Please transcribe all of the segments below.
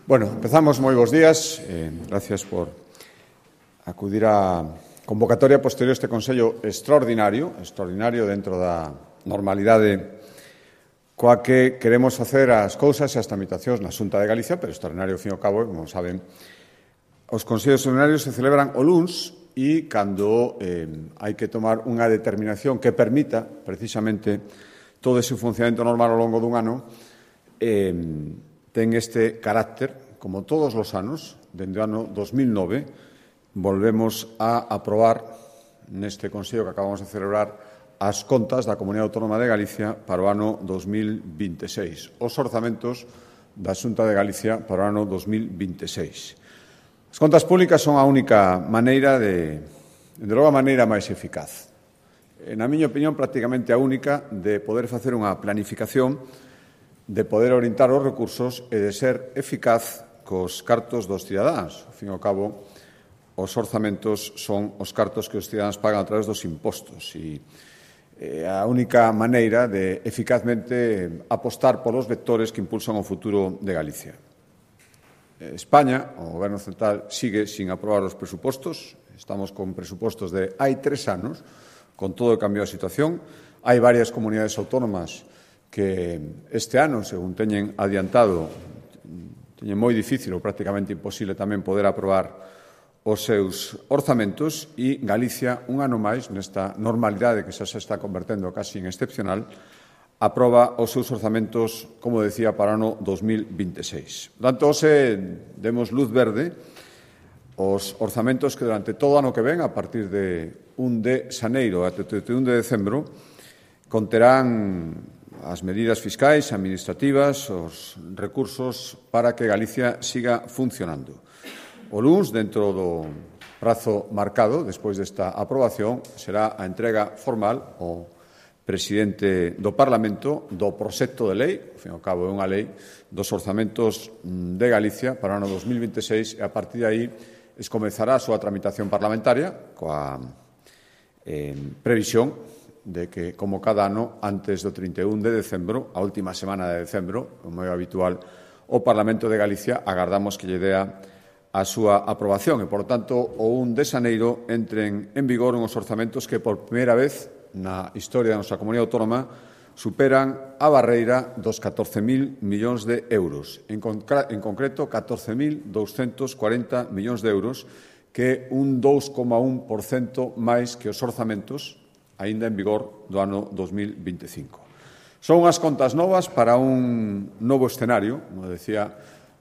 Bueno, empezamos, moi bons días. Gracias por acudir á convocatoria posterior a este Consello extraordinario dentro da normalidade coa que queremos facer as cousas e as tramitacións na Xunta de Galicia, pero extraordinario, ao fin e ao cabo, como saben, os Consellos extraordinarios se celebran o luns e cando hai que tomar unha determinación que permita, precisamente, todo ese funcionamento normal ao longo dun ano, ten este carácter, como todos os anos, dende o ano 2009, volvemos a aprobar neste Consello que acabamos de celebrar as contas da Comunidade Autónoma de Galicia para o ano 2026, os orzamentos da Xunta de Galicia para o ano 2026. As contas públicas son a única maneira de logo a maneira máis eficaz, na miña opinión, prácticamente a única de poder facer unha planificación, de poder orientar os recursos e de ser eficaz cos cartos dos cidadáns. Ao fin e ao cabo, os orzamentos son os cartos que os cidadáns pagan a través dos impostos e a única maneira de eficazmente apostar polos vectores que impulsan o futuro de Galicia. España, o Goberno Central, sigue sin aprobar os presupostos. Estamos con presupostos de hai 3 anos, con todo o cambio da situación. Hai varias comunidades autónomas que este ano, según teñen adiantado, teñen moi difícil ou prácticamente imposible tamén poder aprobar os seus orzamentos e Galicia, un ano máis, nesta normalidade que xa se está convertendo casi en excepcional, aproba os seus orzamentos, como decía, para o ano 2026. Por tanto, hoxe demos luz verde os orzamentos que durante todo o ano que ven, a partir de 1 de xaneiro até 31 de decembro, conterán as medidas fiscais, administrativas, os recursos para que Galicia siga funcionando. O luns, dentro do prazo marcado, despois desta aprobación, será a entrega formal ao presidente do Parlamento do proxecto de lei, ao fin e ao cabo é unha lei, dos orzamentos de Galicia para o ano 2026 e a partir de aí comezará a súa tramitación parlamentaria coa previsión de que, como cada ano, antes do 31 de decembro, a última semana de decembro, como é habitual, o Parlamento de Galicia agardamos que lle dea a súa aprobación e, por tanto, o 1 de xaneiro entren en vigor unhos orzamentos que, por primeira vez na historia da nosa comunidade autónoma, superan a barreira dos 14.000 millóns de euros. En concreto, 14.240 millóns de euros, que é un 2,1% máis que os orzamentos aínda en vigor do ano 2025. Son unhas contas novas para un novo escenario, como decía,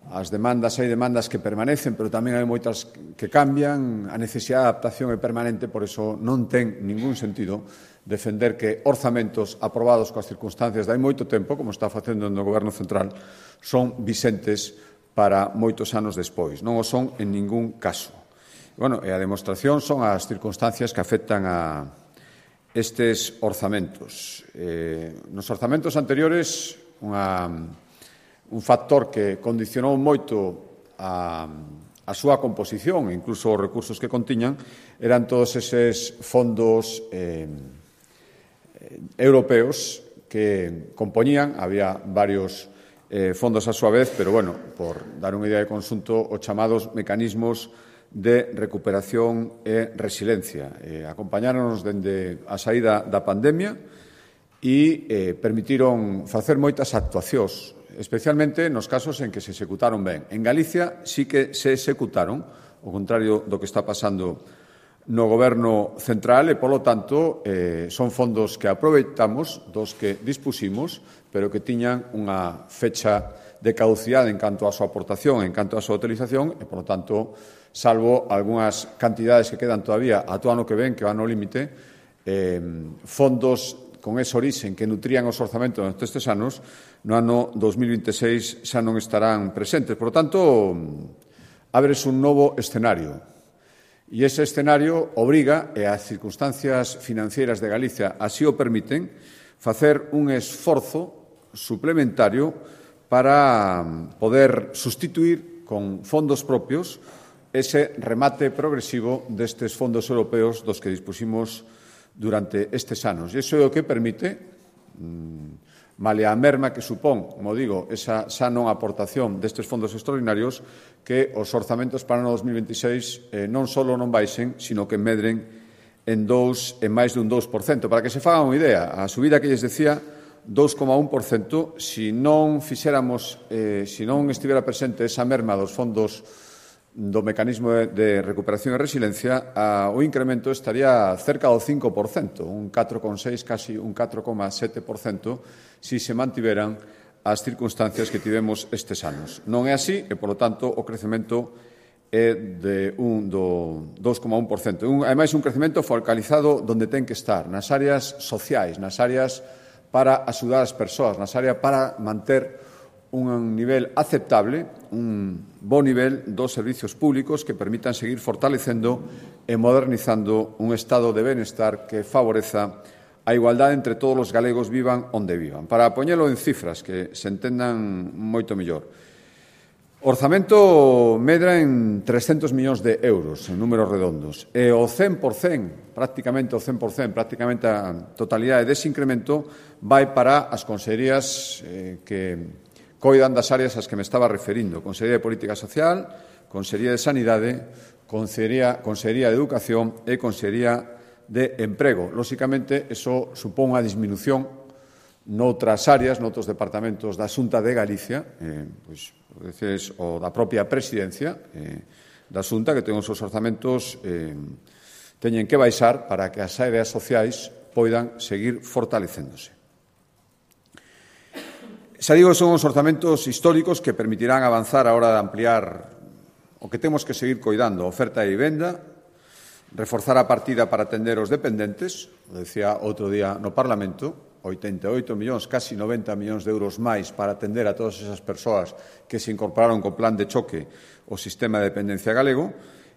hai demandas que permanecen, pero tamén hai moitas que cambian, a necesidade de adaptación é permanente, por iso non ten ningún sentido defender que orzamentos aprobados coas circunstancias de hai moito tempo, como está facendo no Goberno Central, son vixentes para moitos anos despois. Non o son en ningún caso. E a demostración son as circunstancias que afectan a estes orzamentos. Nos orzamentos anteriores, un factor que condicionou moito a súa composición, incluso os recursos que contiñan, eran todos eses fondos europeos que compoñían, había varios fondos a súa vez, pero, por dar unha idea de conxunto, os chamados mecanismos de recuperación e resiliencia. Acompañáronos dende a saída da pandemia e permitiron facer moitas actuacións, especialmente nos casos en que se executaron ben. En Galicia sí que se executaron, ao contrario do que está pasando no Goberno Central e, polo tanto, son fondos que aproveitamos, dos que dispusimos, pero que tiñan unha fecha de caducidade en canto a súa aportación, en canto a súa utilización e, polo tanto, salvo algunhas cantidades que quedan todavía a todo ano que ven, que van ao límite, fondos con ese orixen que nutrían os orzamentos nestes anos, no ano 2026 xa non estarán presentes. Por tanto, ábrese un novo escenario. E ese escenario obriga, e as circunstancias financeiras de Galicia así o permiten, facer un esforzo suplementario para poder sustituir con fondos propios ese remate progresivo destes fondos europeos dos que dispusimos durante estes anos. E iso é o que permite male a merma que supón, como digo, esa xa non aportación destes fondos extraordinarios, que os orzamentos para o ano 2026 non só non baixen, sino que medren en máis dun 2%. Para que se fagan unha idea, a subida que lles decía, 2,1%, se non estivera presente esa merma dos fondos do mecanismo de recuperación e resiliencia, o incremento estaría cerca do 5%, un 4,6%, casi un 4,7%, se se mantiveran as circunstancias que tivemos estes anos. Non é así e, polo tanto, o crecemento é do 2,1%. Ademais, un crecemento focalizado onde ten que estar, nas áreas sociais, nas áreas para axudar as persoas, nas áreas para manter un nivel aceptable, un bo nivel dos servizos públicos que permitan seguir fortalecendo e modernizando un estado de benestar que favoreza a igualdade entre todos os galegos, vivan onde vivan. Para poñelo en cifras que se entendan moito mellor, o orzamento medra en 300 millóns de euros, en números redondos, e o 100%, prácticamente a totalidade dese incremento vai para as consellerías que coidan das áreas ás que me estaba referindo: Consellería de Política Social, Consellería de Sanidade, Consellería de Educación e Consellería de Emprego. Lóxicamente, eso supón unha disminución noutras áreas, noutros departamentos da Xunta de Galicia, o da propia presidencia da Xunta, que ten os seus orzamentos teñen que baixar para que as áreas sociais poidan seguir fortalecéndose. Xa digo, son os orzamentos históricos que permitirán avanzar a hora de ampliar o que temos que seguir coidando, a oferta de vivenda, reforzar a partida para atender os dependentes, o decía outro día no Parlamento, 88 millóns, casi 90 millóns de euros máis para atender a todas esas persoas que se incorporaron co plan de choque ao sistema de dependencia galego,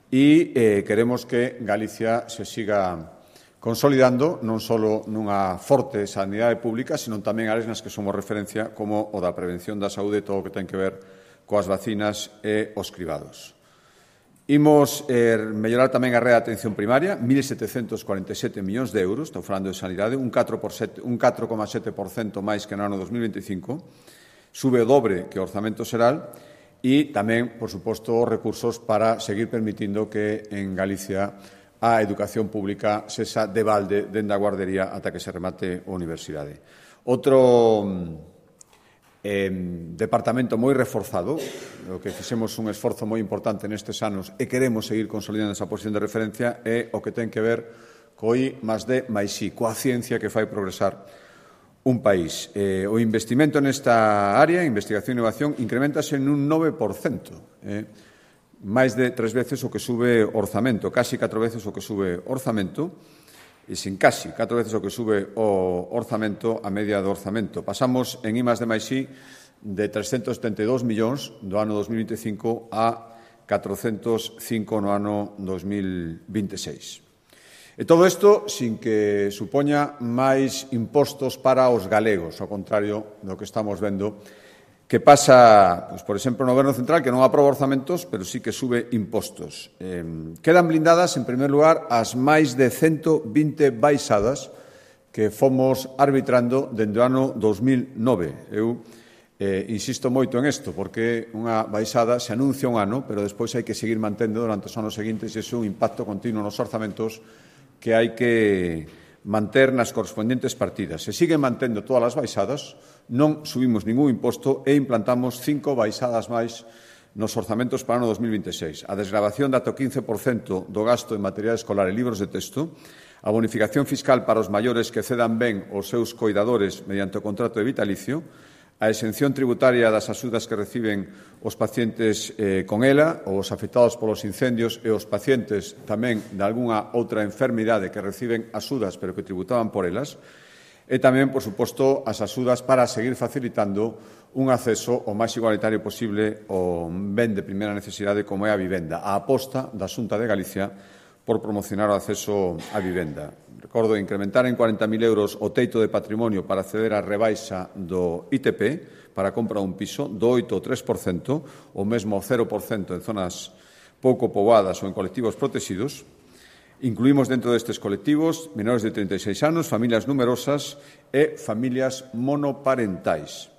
e queremos que Galicia se siga consolidando non só nunha forte sanidade pública, sino tamén áreas nas que somos referencia, como o da prevención da saúde, todo o que ten que ver coas vacinas e os cribados. Imos mellorar tamén a rede de atención primaria, 1.747 millóns de euros, estou falando de sanidade, un 4,7% máis que no ano 2025, sube o dobre que o orzamento xeral, e tamén, por suposto, os recursos para seguir permitindo que en Galicia a educación pública sexa de balde dende a guardería ata que se remate a universidade. Outro departamento moi reforzado, o que fixemos un esforzo moi importante nestes anos e queremos seguir consolidando esa posición de referencia, é o que ten que ver co I+D+I, coa ciencia que fai progresar un país. O investimento nesta área, investigación e innovación, incrementase en un 9%, máis de 3 veces o que sube o orzamento, casi 4 veces o que sube o orzamento, e sin casi 4 veces o que sube o orzamento a media do orzamento. Pasamos en I+D+I de 372 millóns do ano 2025 a 405 no ano 2026. E todo isto sin que supoña máis impostos para os galegos, ao contrario do que estamos vendo que pasa, por exemplo, no Goberno Central, que non aproba orzamentos, pero sí que sube impostos. Quedan blindadas, en primer lugar, as máis de 120 baixadas que fomos arbitrando dende o ano 2009. Eu insisto moito en isto, porque unha baixada se anuncia un ano, pero despois hai que seguir mantendo durante os anos seguintes, e iso é un impacto continuo nos orzamentos que hai que manter nas correspondentes partidas. Se siguen mantendo todas as baixadas, non subimos ningún imposto e implantamos 5 baixadas máis nos orzamentos para o ano 2026. A desgravación de ata o 15% do gasto en material escolar e libros de texto, a bonificación fiscal para os maiores que cedan ben os seus coidadores mediante o contrato de vitalicio, a exención tributaria das axudas que reciben os pacientes con ELA, ou os afectados polos incendios, e os pacientes tamén de algunha outra enfermidade que reciben axudas pero que tributaban por elas, e tamén, por suposto, as axudas para seguir facilitando un acceso o máis igualitario posible ao ben de primeira necesidade como é a vivenda, a aposta da Xunta de Galicia por promocionar o acceso á vivenda. Recordo incrementar en 40.000 euros o teito de patrimonio para acceder á rebaixa do ITP para a compra dun piso, do 8 ao 3%, ou mesmo ao 0% en zonas pouco poboadas ou en colectivos protegidos. Incluímos dentro destes colectivos menores de 36 anos, familias numerosas e familias monoparentais.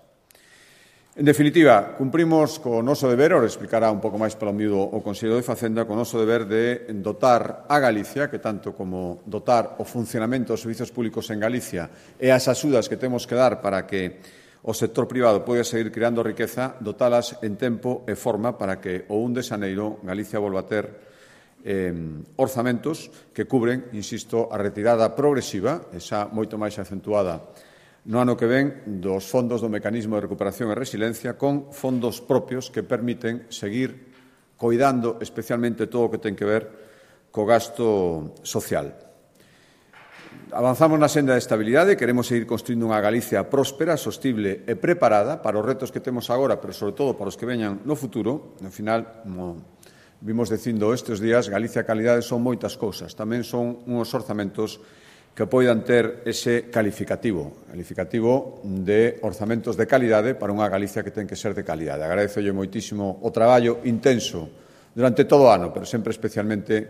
En definitiva, cumprimos co noso deber, ora explicará un pouco máis polo miúdo o Conselleiro de Facenda, co noso deber de dotar a Galicia, que tanto como dotar o funcionamento dos servizos públicos en Galicia e as axudas que temos que dar para que o sector privado poida seguir creando riqueza, dotalas en tempo e forma para que o 1 de xaneiro Galicia volva a ter orzamentos que cubren, insisto, a retirada progresiva, esa moito máis acentuada no ano que ven, dos fondos do Mecanismo de Recuperación e Resiliencia con fondos propios que permiten seguir coidando especialmente todo o que ten que ver co gasto social. Avanzamos na senda de estabilidade, queremos seguir construindo unha Galicia próspera, sostible e preparada para os retos que temos agora, pero sobre todo para os que veñan no futuro. No final, como vimos dicindo estes días, Galicia e calidade son moitas cousas. Tamén son uns orzamentos que poidan ter ese calificativo de orzamentos de calidade para unha Galicia que ten que ser de calidade. Agradézolle moitísimo o traballo intenso durante todo o ano, pero sempre especialmente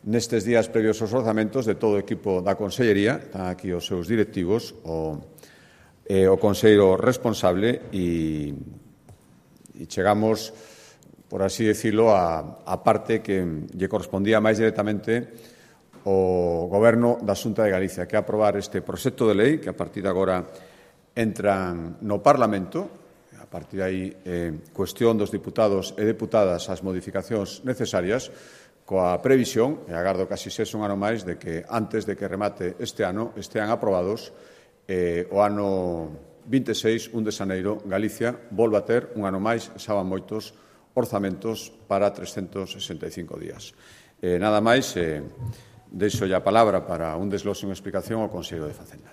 nestes días previos aos orzamentos de todo o equipo da Consellería, están aquí os seus directivos, o conselleiro responsable e chegamos, por así decirlo, a parte que lle correspondía máis directamente o Goberno da Xunta de Galicia, que é aprobar este proxecto de lei que a partir de agora entran no Parlamento. A partir de aí, cuestión dos diputados e deputadas as modificacións necesarias, coa previsión, e agardo casi sexa un ano máis, de que antes de que remate este ano estean aprobados o ano 26, 1 de xaneiro, Galicia volva a ter un ano máis, xa van moitos orzamentos para 365 días. Nada máis, deixo a palabra para un desglose e unha explicación ao Conselleiro de Facenda.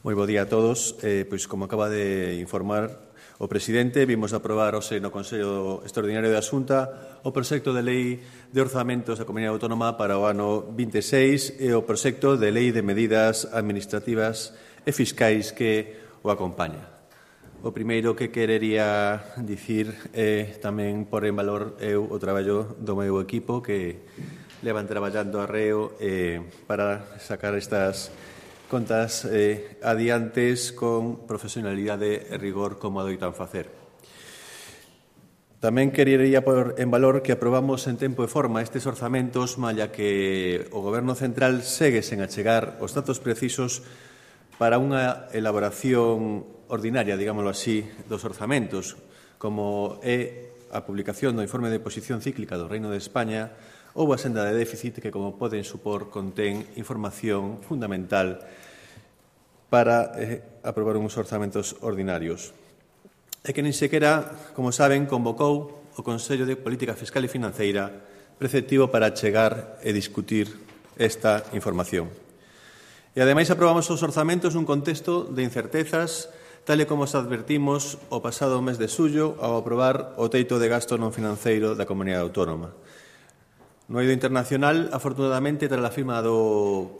Moi bo día a todos. Pois, como acaba de informar o presidente, vimos aprobar hoxe no Consello Extraordinario da Xunta o proxecto de lei de orzamentos da Comunidade Autónoma para o ano 26 e o proxecto de lei de medidas administrativas e fiscais que o acompaña. O primeiro que querería dicir é tamén por en valor o traballo do meu equipo que levan traballando arreo para sacar estas contas adiantes con profesionalidade e rigor como adoitan facer. Tamén querería por en valor que aprobamos en tempo e forma estes orzamentos, malla que o Goberno Central segue sen achegar os datos precisos para unha elaboración ordinaria, digámoslo así, dos orzamentos, como é a publicación do informe de posición cíclica do Reino de España ou a senda de déficit que, como poden supor, contén información fundamental para aprobar uns orzamentos ordinarios. E que nin sequera, como saben, convocou o Consello de Política Fiscal e Financeira preceptivo para chegar e discutir esta información. E, ademais, aprobamos os orzamentos nun contexto de incertezas, tal e como os advertimos o pasado mes de xullo ao aprobar o teito de gasto non financeiro da Comunidade Autónoma. No eido internacional, afortunadamente, tras a firma do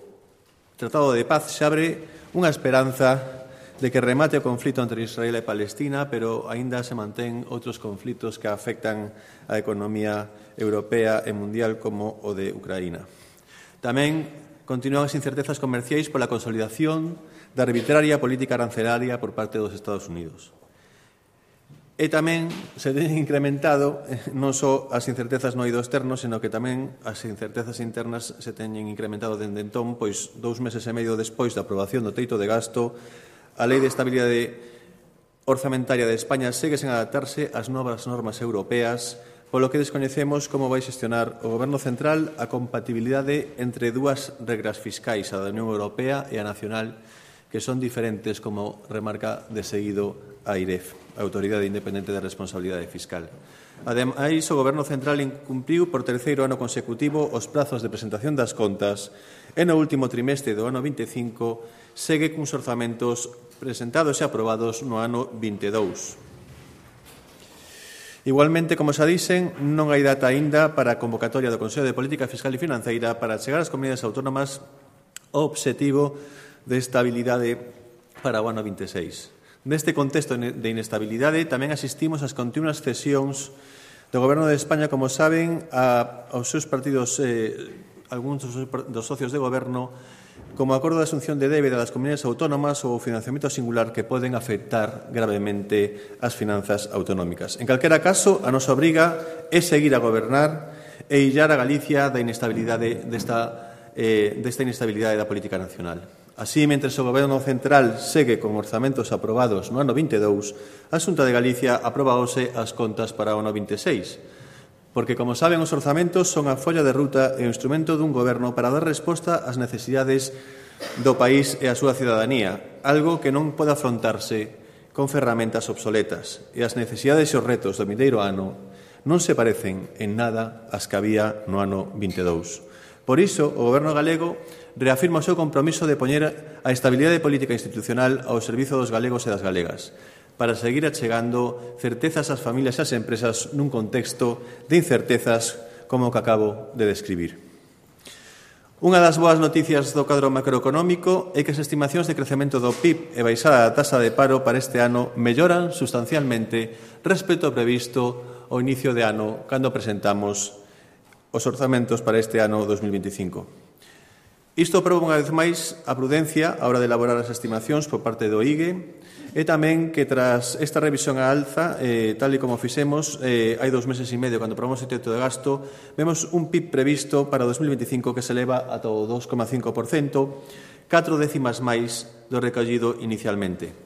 Tratado de Paz, se abre unha esperanza de que remate o conflito entre Israel e Palestina, pero aínda se mantén outros conflitos que afectan a economía europea e mundial como o de Ucraína. Tamén continúan as incertezas comerciais pola consolidación da arbitraria política arancelaria por parte dos Estados Unidos. E tamén se ten incrementado non só as incertezas no eido externo, senón que tamén as incertezas internas se teñen incrementado dende entón, pois 2 meses e medio despois da aprobación do teito de gasto, a Lei de Estabilidade Orzamentaria de España segue sen adaptarse ás novas normas europeas, polo que descoñecemos como vai xestionar o Goberno Central a compatibilidade entre dúas regras fiscais, a da Unión Europea e a nacional, que son diferentes, como remarca de seguido a AIREF, a Autoridade Independente de Responsabilidade Fiscal. Ademais, o Goberno Central incumpriu por terceiro ano consecutivo os prazos de presentación das contas e no último trimestre do ano 25 segue cuns orzamentos presentados e aprobados no ano 22. Igualmente, como xa dixen, non hai data aínda para a convocatoria do Consello de Política Fiscal e Financeira para chegar ás comunidades autónomas ao obxectivo de estabilidade para o ano 26. Neste contexto de inestabilidade tamén asistimos ás continuas cesións do Goberno de España, como saben, aos seus partidos, algúns dos socios de Goberno, como acordo de asunción de débeda das comunidades autónomas ou financiamento singular que poden afectar gravemente as finanzas autonómicas. En calquera caso, a nosa obriga é seguir a gobernar e illar a Galicia da inestabilidade desta inestabilidade da política nacional. Así, mentre o Goberno Central segue con orzamentos aprobados no ano 22, a Xunta de Galicia aprobaose as contas para o ano 26, porque, como saben, os orzamentos son a folla de ruta e o instrumento dun goberno para dar resposta ás necesidades do país e a súa cidadanía, algo que non pode afrontarse con ferramentas obsoletas, e as necesidades e os retos do vindeiro ano non se parecen en nada ás que había no ano 22. Por iso, o Goberno galego reafirma o seu compromiso de poñer a estabilidade política institucional ao servizo dos galegos e das galegas, para seguir achegando certezas ás familias e ás empresas nun contexto de incertezas como o que acabo de describir. Unha das boas noticias do cadro macroeconómico é que as estimacións de crecemento do PIB e baixada da tasa de paro para este ano melloran sustancialmente respecto ao previsto ao inicio de ano cando presentamos os orzamentos para este ano 2025. Isto proba unha vez máis a prudencia á hora de elaborar as estimacións por parte do IGE e tamén que tras esta revisión á alza, tal e como fixemos hai 2 meses e medio cando aprobamos o teito de gasto, vemos un PIB previsto para o 2025 que se eleva ata o 2,5%, 4 décimas máis do recollido inicialmente.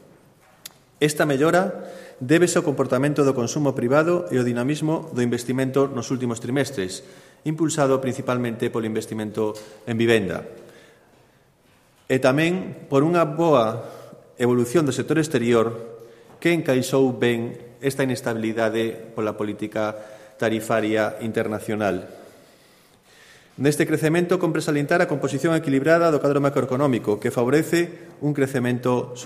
Esta mellora débese ao comportamento do consumo privado e ao dinamismo do investimento nos últimos trimestres, impulsado principalmente polo investimento en vivenda. E tamén por unha boa evolución do sector exterior que encaixou ben esta inestabilidade pola política tarifaria internacional. Neste crecemento compre salientar a composición equilibrada do cadro macroeconómico que favorece un crecemento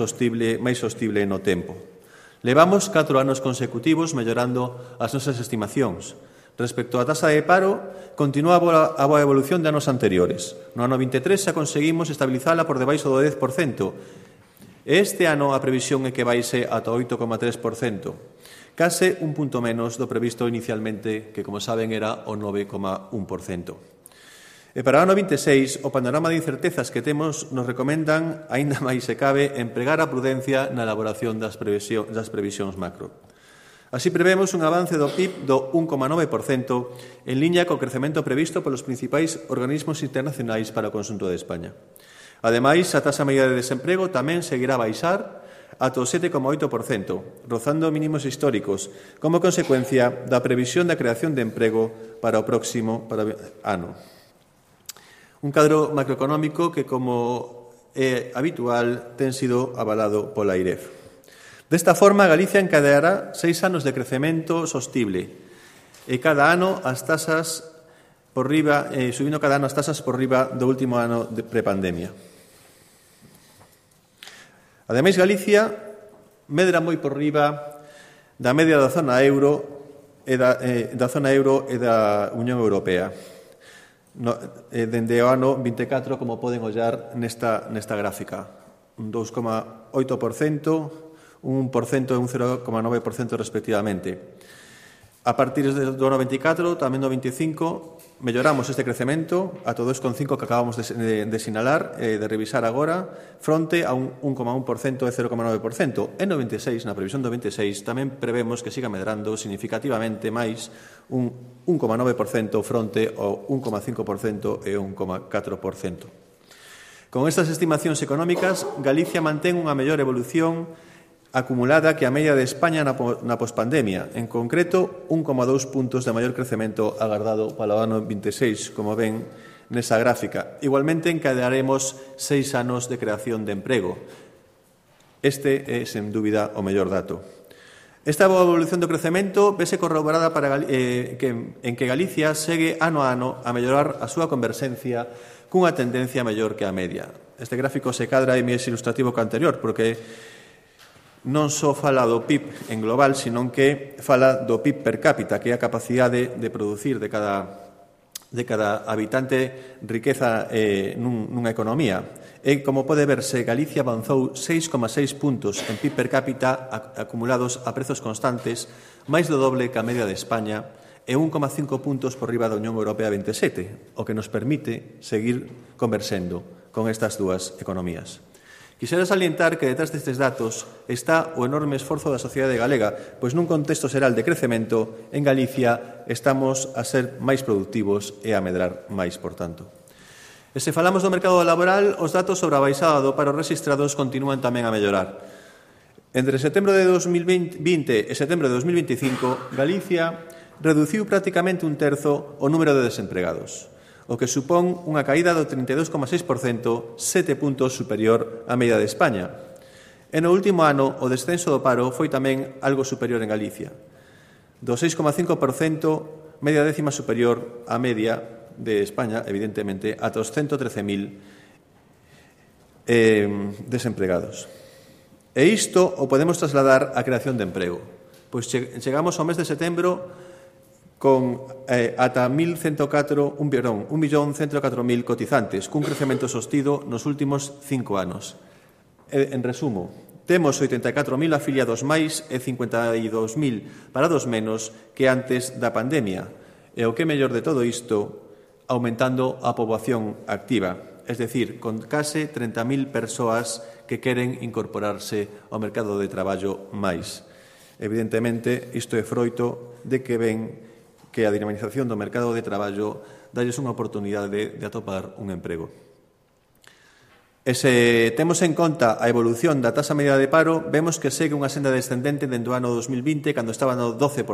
máis sostible no tempo. Levamos 4 anos consecutivos mellorando as nosas estimacións. Respecto á tasa de paro, continúa a boa evolución de anos anteriores. No ano 23 xa conseguimos estabilizala por debaixo do 10%. Este ano a previsión é que baixe ata o 8,3%, case un punto menos do previsto inicialmente, que, como saben, era o 9,1%. E para o ano 26, o panorama de incertezas que temos nos recomendan, aínda máis se cabe, empregar a prudencia na elaboración das previsións macro. Así prevemos un avance do PIB do 1,9% en liña co crecemento previsto polos principais organismos internacionais para o conxunto de España. Ademais, a taxa media de desemprego tamén seguirá a baixar ata o 7,8%, rozando mínimos históricos, como consecuencia da previsión da creación de emprego para o próximo ano. Un cadro macroeconómico que, como é habitual, ten sido avalado pola AIREF. Desta forma, Galicia encadeará 6 anos de crecemento sostible e cada ano as tasas por riba, subindo cada ano as tasas por riba do último ano de prepandemia. Ademais, Galicia medra moi por riba da media da zona euro e da Unión Europea. Dende o ano 24, como poden ollar nesta gráfica, un 2,8%, un 1% e un 0,9% respectivamente. A partir do ano 24, tamén do 25, melloramos este crecemento a todo 2,5% que acabamos de sinalar, de revisar agora, fronte a un 1,1% e 0,9%. En 96, na previsión do 26, tamén prevemos que siga medrando significativamente máis un 1,9% fronte ao 1,5% e 1,4%. Con estas estimacións económicas, Galicia mantén unha mellor evolución acumulada que a media de España na pospandemia, en concreto 1,2 puntos de maior crecemento agardado para o ano 26, como ven nesa gráfica. Igualmente encadearemos 6 anos de creación de emprego. Este é, sen dúbida, o mellor dato. Esta boa evolución do crecemento vese corroborada en que Galicia segue ano a ano a mellorar a súa converxencia cunha tendencia mellor que a media. Este gráfico se cadra e máis ilustrativo que o anterior, porque non só fala do PIB en global, senón que fala do PIB per cápita, que é a capacidade de producir de cada habitante riqueza nunha economía. E, como pode verse, Galicia avanzou 6,6 puntos en PIB per cápita acumulados a prezos constantes, máis do doble que a media de España, e 1,5 puntos por riba da Unión Europea 27, o que nos permite seguir conversendo con estas dúas economías. Quixera salientar que detrás destes datos está o enorme esforzo da sociedade galega, pois nun contexto xeral de crecemento, en Galicia estamos a ser máis productivos e a medrar máis, por tanto. E se falamos do mercado laboral, os datos sobre a baixada do paro rexistrados continúan tamén a mellorar. Entre setembro de 2020 e setembro de 2025, Galicia reduciu prácticamente un terzo o número de desempregados, o que supón unha caída do 32,6%, 7 puntos superior á media de España. E no último ano, o descenso do paro foi tamén algo superior en Galicia. Do 6,5%, media décima superior á media de España, evidentemente, ata os 113.000 desempregados. E isto o podemos trasladar á creación de emprego. Pois chegamos ao mes de setembro con ata 1.104.000 cotizantes, cun crecemento sostido nos últimos 5 anos. En resumo, temos 84.000 afiliados máis e 52.000 parados menos que antes da pandemia. E o que é mellor de todo isto, aumentando a poboación activa, es decir, con case 30.000 persoas que queren incorporarse ao mercado de traballo máis. Evidentemente, isto é froito de que ven que a dinamización do mercado de traballo dalles unha oportunidade de atopar un emprego. E se temos en conta a evolución da taxa media de paro, vemos que segue unha senda descendente dende o ano 2020, cando estaba no 12%.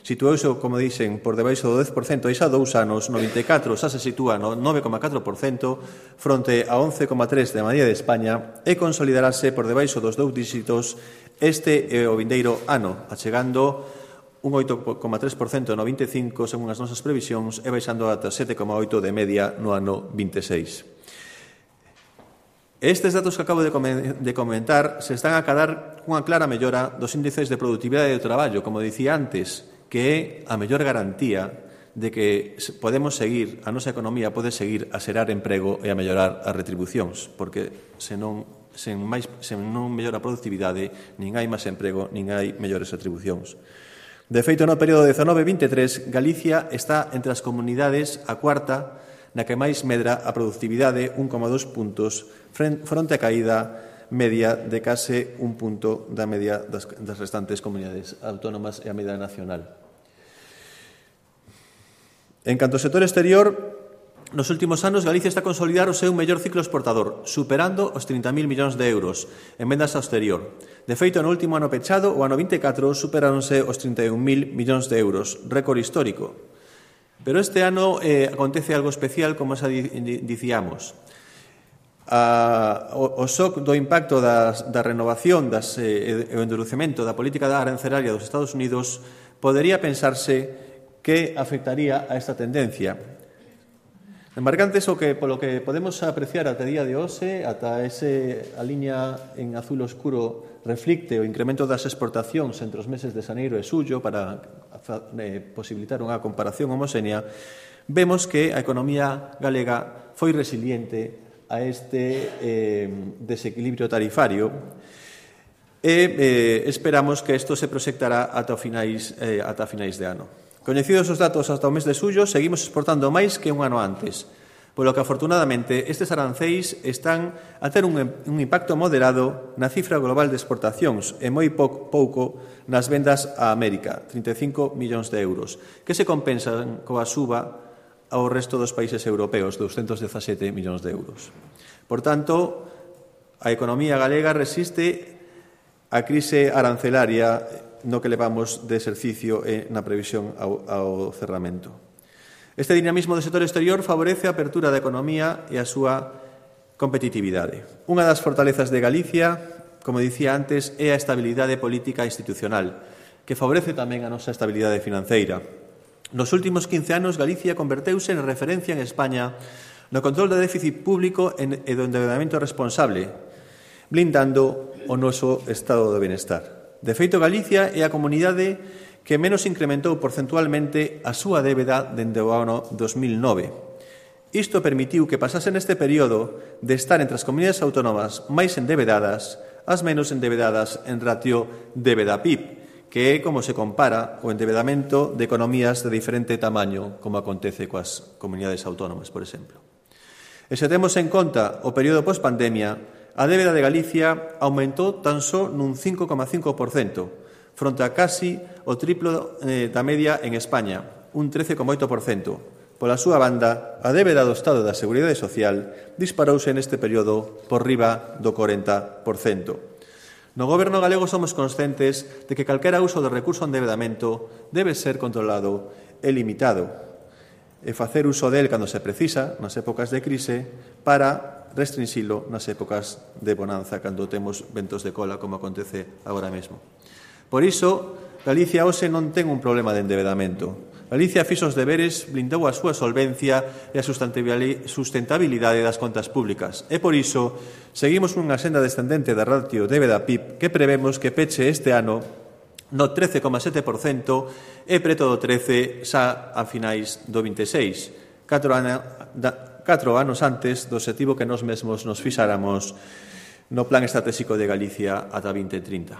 Situouse, como dixen, por debaixo do 10%, e xa 2 anos, no 24 xa se sitúa no 9,4%, fronte a 11,3% da media de España, e consolidarase por debaixo dos 2 dígitos este e o vindeiro ano, achegando un 8,3% no 25, según as nosas previsións, e baixando ata 7,8% de media no ano 26. Estes datos que acabo de comentar se están a cadar unha clara mellora dos índices de produtividade do traballo, como dicía antes, que é a mellor garantía de que podemos seguir, a nosa economía pode seguir a xerar emprego e a mellorar as retribucións, porque sen non mellora a produtividade, nin hai máis emprego, nin hai mellores retribucións. De feito, no período 19-23, Galicia está entre as comunidades a cuarta na que máis medra a productividade 1,2 puntos fronte a caída media de case un punto da media das restantes comunidades autónomas e a media nacional. En canto ao sector exterior, nos últimos anos Galicia está a consolidar o seu mellor ciclo exportador, superando os 30.000 millóns de euros en vendas ao exterior. De feito, no último ano pechado, o ano 24, superáronse os 31.000 millóns de euros, récord histórico. Pero este ano acontece algo especial, como xa dicíamos. O shock do impacto da renovación e o endurecemento da política arancelaria dos Estados Unidos podería pensarse que afectaría a esta tendencia. Embarcantes polo que podemos apreciar ata día de hoxe, ata a liña en azul oscuro reflicte o incremento das exportacións entre os meses de xaneiro e xullo para posibilitar unha comparación homoxénea, vemos que a economía galega foi resiliente a este desequilibrio tarifario e esperamos que isto se proxectará ata finais de ano. Coñecidos os datos ata o mes de xullo, seguimos exportando máis que un ano antes, polo que, afortunadamente, estes arancéis están a ter un impacto moderado na cifra global de exportacións e moi pouco nas vendas a América, 35 millóns de euros, que se compensan coa suba ao resto dos países europeos, 217 millóns de euros. Por tanto, a economía galega resiste a crise arancelaria no que levamos de exercicio na previsión ao cerramento. Este dinamismo do sector exterior favorece a apertura da economía e a súa competitividade. Unha das fortalezas de Galicia como dicía antes, é a estabilidade política institucional, que favorece tamén a nosa estabilidade financeira. Nos últimos 15 anos, Galicia converteuse en referencia en España no control do déficit público e do endeudamento responsable, blindando o noso estado de benestar. De feito, Galicia é a comunidade que menos incrementou porcentualmente a súa débeda dende o ano 2009. Isto permitiu que pasase neste período de estar entre as comunidades autónomas máis endebedadas as menos endebedadas en ratio débeda-PIB, que é como se compara o endebedamento de economías de diferente tamaño, como acontece coas comunidades autónomas, por exemplo. E se temos en conta o período pospandemia, a débeda de Galicia aumentou tan só nun 5,5%, fronte a casi o triplo da media en España, un 13,8%. Pola súa banda, a débeda do Estado da Seguridade Social disparouse neste período por riba do 40%. No Goberno galego somos conscientes de que calquera uso do recurso ao endebedamento debe ser controlado e limitado, e facer uso del cando se precisa, nas épocas de crise, para restrinxilo nas épocas de bonanza, cando temos ventos de cola, como acontece agora mesmo. Por iso, Galicia hoxe non ten un problema de endebedamento. Galicia fixo os deberes, blindou a súa solvencia e a sustentabilidade das contas públicas. E por iso, seguimos unha senda descendente da ratio débeda-PIB que prevemos que peche este ano no 13,7% e preto do 13% xa a finais do 26, 4 anos antes do objetivo que nós mesmos nos fixáramos no Plan Estratégico de Galicia ata 2030.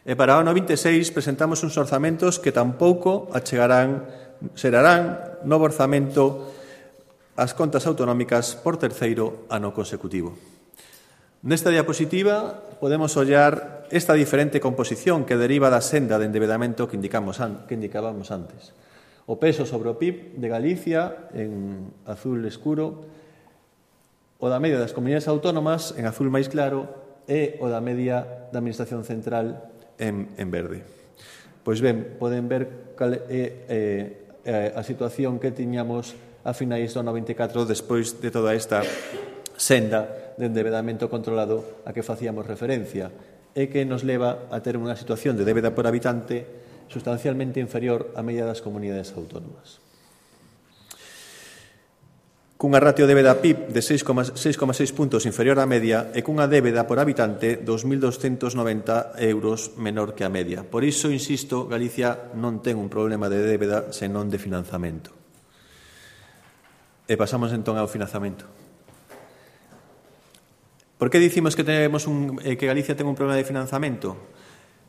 E para o ano 26 presentamos uns orzamentos que tampouco xerarán novo orzamento as contas autonómicas por terceiro ano consecutivo. Nesta diapositiva podemos ollar esta diferente composición que deriva da senda de endebedamento que indicábamos antes. O peso sobre o PIB de Galicia en azul escuro, o da media das comunidades autónomas en azul máis claro e o da media da Administración Central en verde. Pois ben, poden ver cal é a situación que tiñamos a finais do 94 despois de toda esta senda de endebedamento controlado a que facíamos referencia e que nos leva a ter unha situación de débeda por habitante sustancialmente inferior á media das comunidades autónomas. Cunha ratio débeda-PIB de 6,6 puntos inferior á media e cunha débeda por habitante 2.290 euros menor que a media. Por iso, insisto, Galicia non ten un problema de débeda senón de financiamento. E pasamos entón ao financiamento. Por que dicimos que Galicia ten un problema de financiamento?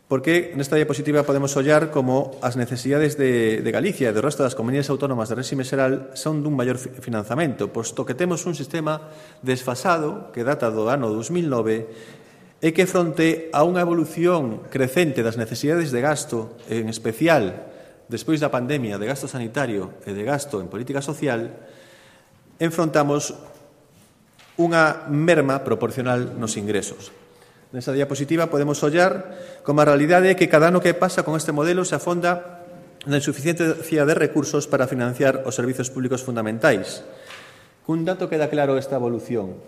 Porque nesta diapositiva podemos ollar como as necesidades de Galicia e do resto das comunidades autónomas de réxime xeral son dun maior financiamento, posto que temos un sistema desfasado que data do ano 2009 e que fronte a unha evolución crecente das necesidades de gasto, en especial despois da pandemia, de gasto sanitario e de gasto en política social, enfrontamos unha merma proporcional nos ingresos. Nesa diapositiva podemos ollar como a realidade é que cada ano que pasa con este modelo se afonda na insuficiencia de recursos para financiar os servizos públicos fundamentais. Cun dato queda claro esta evolución.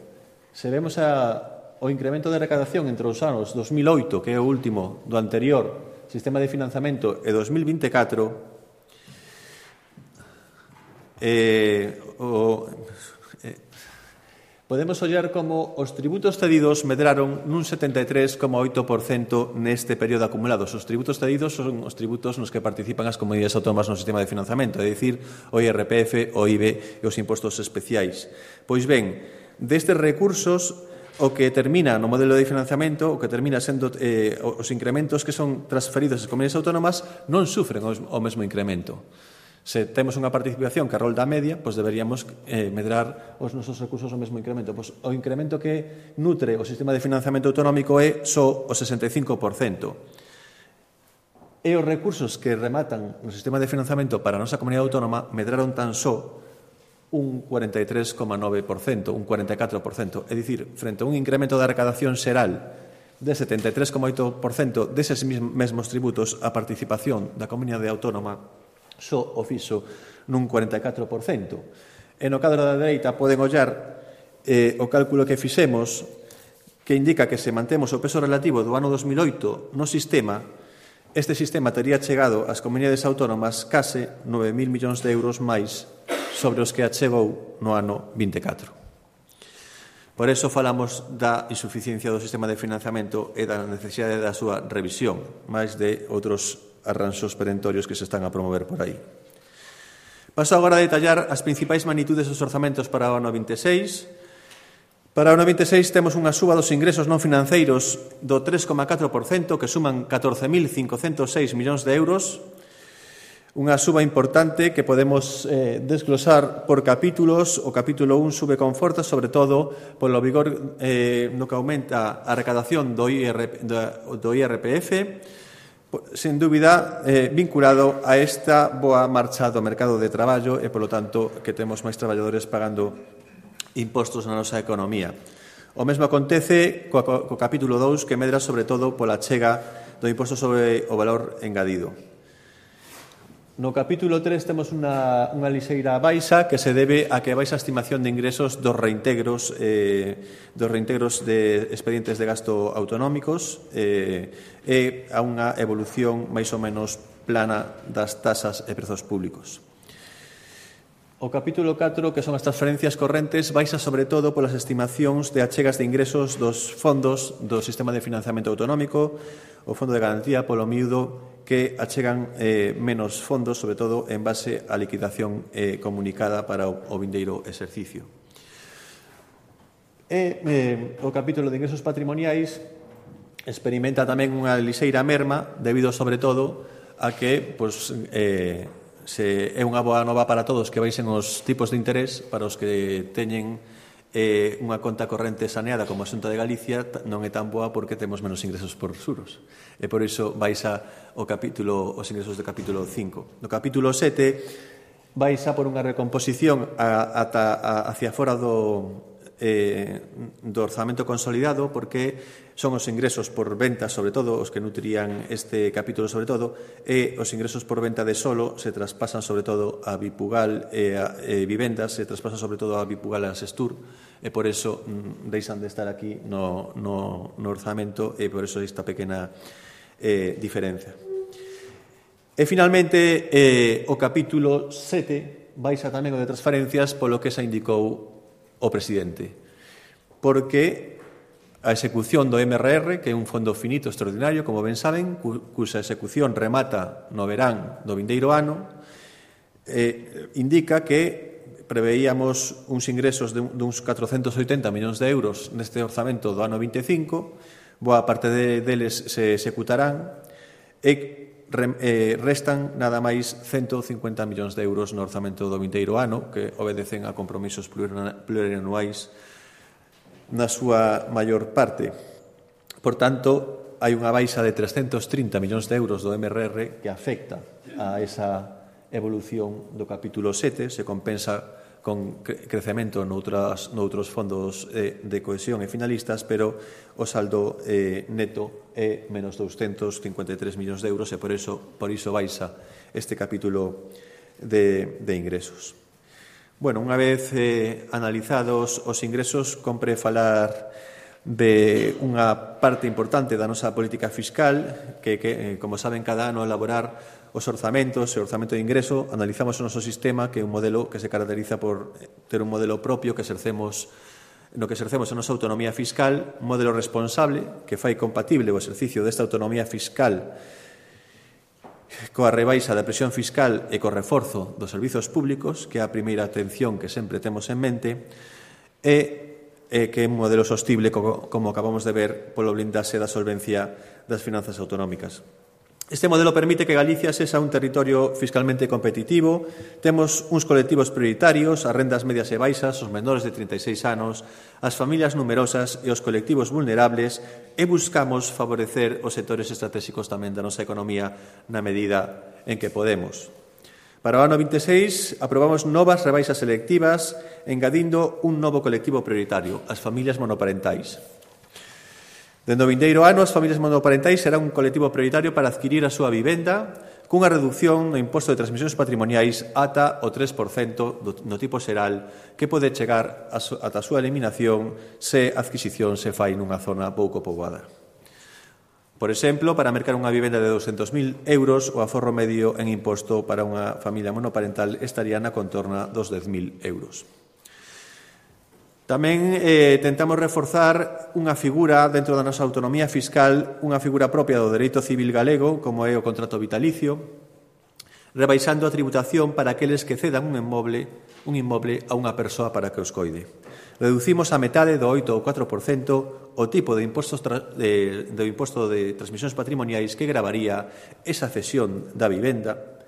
Se vemos o incremento de recadación entre os anos 2008, que é o último do anterior sistema de financiamento, e 2024, podemos ollar como os tributos cedidos medraron nun 73,8% neste período acumulado. Os tributos cedidos son os tributos nos que participan as comunidades autónomas no sistema de financiamento, é dicir, o IRPF, o IBE e os impostos especiais. Pois ben, destes recursos, o que termina no modelo de financiamento, o que termina sendo os incrementos que son transferidos ás comunidades autónomas non sufren o mesmo incremento. Se temos unha participación que arrolda a media, pois deberíamos medrar os nosos recursos ao mesmo incremento. Pois o incremento que nutre o sistema de financiamento autonómico é só o 65%. E os recursos que rematan no sistema de financiamento para a nosa comunidade autónoma medraron tan só un 43,9%, un 44%. É dicir, frente a un incremento da recadación xeral de 73,8% deses mesmos tributos, a participación da comunidade autónoma só o fixo nun 44%. E no cadro da dereita poden ollar o cálculo que fixemos, que indica que se mantemos o peso relativo do ano 2008 no sistema, este sistema tería chegado ás comunidades autónomas case 9.000 millóns de euros máis sobre os que achegou no ano 24. Por eso falamos da insuficiencia do sistema de financiamento e da necesidade da súa revisión, máis de outros arranxos perentorios que se están a promover por aí. Paso agora a detallar as principais magnitudes dos orzamentos para o ano 26. Para o ano 26 temos unha suba dos ingresos non financeiros do 3,4%, que suman 14.506 millóns de euros, unha suba importante que podemos desglosar por capítulos. O capítulo 1 sube con forza, sobre todo polo vigor no que aumenta a recadación do IRPF, sen dúbida vinculado a esta boa marcha do mercado de traballo e, polo tanto, que temos máis traballadores pagando impostos na nosa economía. O mesmo acontece co capítulo 2, que medra sobre todo pola chega do imposto sobre o valor engadido. No capítulo 3 temos unha lixeira baixa que se debe a que baixa a estimación de ingresos dos reintegros de expedientes de gasto autonómicos e a unha evolución máis ou menos plana das tasas e prezos públicos. O capítulo 4, que son as transferencias correntes, baixa sobre todo polas estimacións de achegas de ingresos dos fondos do sistema de financiamento autonómico, o Fondo de Garantía, polo miúdo, que achegan menos fondos, sobre todo en base á liquidación comunicada para o vindeiro exercicio. O capítulo de ingresos patrimoniais experimenta tamén unha lixeira merma, debido sobre todo a que é unha boa nova para todos que baixen os tipos de interés para os que teñen unha conta corrente saneada como a Xunta de Galicia. Non é tan boa porque temos menos ingresos por xuros e por iso baixa os ingresos do capítulo 5. No capítulo 7 baixa por unha recomposición hacia fora do orzamento consolidado, porque son os ingresos por venta, sobre todo, os que nutrían este capítulo sobre todo, e os ingresos por venta de solo se traspasan sobre todo a Bipugal e a vivendas, se traspasan sobre todo a Bipugal e a Sestur, e por eso deixan de estar aquí no orzamento, e por eso esta pequena diferencia. E finalmente o capítulo 7 baixa tamén o de transferencias polo que se indicou o presidente, porque a execución do MRR, que é un fondo finito extraordinario, como ben saben, cuxa execución remata no verán do vindeiro ano, indica que preveíamos uns ingresos de uns 480 millóns de euros neste orzamento do ano 25, boa parte deles se executarán e restan nada máis 150 millóns de euros no orzamento do vindeiro ano, que obedecen a compromisos plurianuais na súa maior parte. Por tanto, hai unha baixa de 330 millóns de euros do MRR que afecta a esa evolución do capítulo 7, se compensa con crecemento noutros fondos de cohesión e finalistas, pero o saldo neto é menos 253 millóns de euros e por iso baixa este capítulo de ingresos. Bueno, unha vez analizados os ingresos, compre falar de unha parte importante da nosa política fiscal que como saben, cada ano elaborar os orzamentos e o orzamento de ingreso, analizamos o noso sistema, que é un modelo que se caracteriza por ter un modelo propio que exercemos a nosa autonomía fiscal, un modelo responsable que fai compatible o exercicio desta autonomía fiscal coa rebaixa da presión fiscal e co reforzo dos servizos públicos, que é a primeira atención que sempre temos en mente, e que é un modelo sostible, como acabamos de ver, polo blindaxe da solvencia das finanzas autonómicas. Este modelo permite que Galicia sexa un territorio fiscalmente competitivo. Temos uns colectivos prioritarios, as rendas medias e baixas, os menores de 36 anos, as familias numerosas e os colectivos vulnerables, e buscamos favorecer os sectores estratégicos tamén da nosa economía na medida en que podemos. Para o ano 26 aprobamos novas rebaixas selectivas, engadindo un novo colectivo prioritario, as familias monoparentais. Dende o vindeiro ano, as familias monoparentais serán un colectivo prioritario para adquirir a súa vivenda cunha reducción no imposto de transmisións patrimoniais ata o 3% no tipo xeral que pode chegar ata a súa eliminación se a adquisición se fai nunha zona pouco poboada. Por exemplo, para mercar unha vivenda de 200.000 euros, o aforro medio en imposto para unha familia monoparental estaría na contorna dos 10.000 euros. Tamén tentamos reforzar unha figura dentro da nosa autonomía fiscal, unha figura propia do dereito civil galego, como é o contrato vitalicio, rebaixando a tributación para aqueles que cedan un inmoble a unha persoa para que os coide. Reducimos a metade do 8 ou 4% o tipo de imposto de transmisións patrimoniais que gravaría esa cesión da vivenda.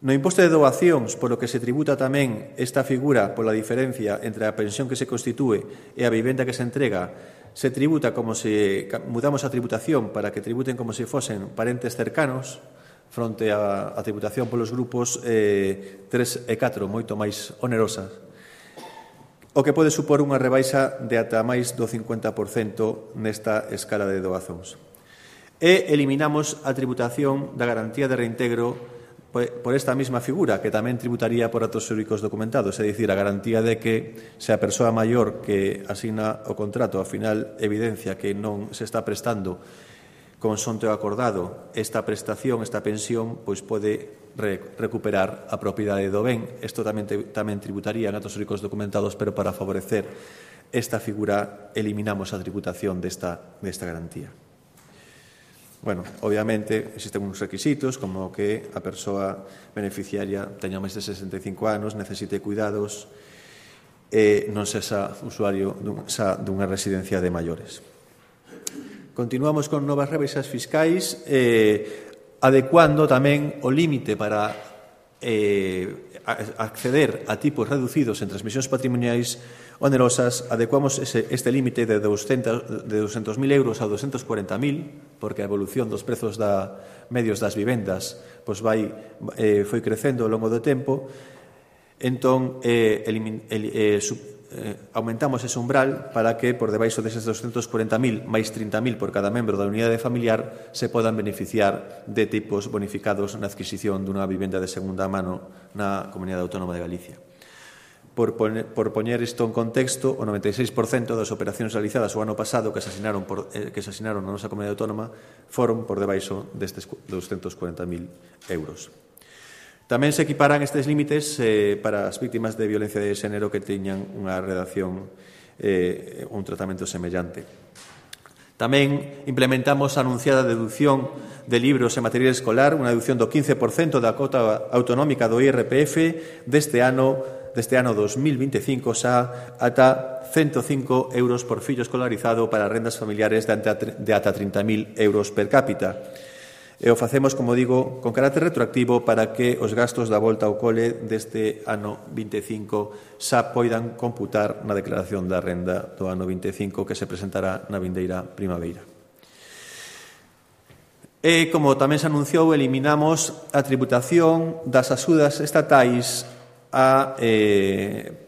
No imposto de doacións, polo que se tributa tamén esta figura pola diferencia entre a pensión que se constitúe e a vivenda que se entrega, se tributa como se mudamos a tributación para que tributen como se fosen parentes cercanos fronte a tributación polos grupos 3 e 4 moito máis onerosas, o que pode supor unha rebaixa de ata máis do 50% nesta escala de doazóns. E eliminamos a tributación da garantía de reintegro por esta mesma figura, que tamén tributaría por actos xurídicos documentados, é dicir, a garantía de que se a persoa maior que asigna o contrato ao final evidencia que non se está prestando consonte o acordado esta prestación, esta pensión, pois pode recuperar a propiedade do ben. Isto tamén tributaría en actos xurídicos documentados, pero para favorecer esta figura eliminamos a tributación desta garantía. Bueno, obviamente, existen uns requisitos como que a persoa beneficiaria teña máis de 65 anos, necesite cuidados e non sexa usuario dunha residencia de maiores. Continuamos con novas rebaixas fiscais, adecuando tamén o límite para acceder a tipos reducidos en transmisións patrimoniais onerosas. Adecuamos este límite de 200.000 euros a 240.000, porque a evolución dos prezos medios das vivendas foi crecendo ao longo do tempo. Entón, aumentamos ese umbral para que por debaixo deses 240.000 máis 30.000 por cada membro da unidade familiar se podan beneficiar de tipos bonificados na adquisición dunha vivenda de segunda mano na Comunidade Autónoma de Galicia. Por poñer isto en contexto, o 96% das operacións realizadas o ano pasado que se asinaron na nosa Comunidade Autónoma foron por debaixo destes 240.000 euros. Tamén se equiparan estes límites para as vítimas de violencia de xénero que teñan unha redacción, un tratamento semellante. Tamén implementamos a anunciada deducción de libros e material escolar, unha deducción do 15% da cota autonómica do IRPF deste ano 2025 xa ata 105 euros por fillo escolarizado para rendas familiares de ata 30.000 euros per cápita. E o facemos, como digo, con carácter retroactivo para que os gastos da volta ao cole deste ano 25 xa poidan computar na declaración da renda do ano 25 que se presentará na vindeira primavera. E, como tamén se anunciou, eliminamos a tributación das axudas estatais a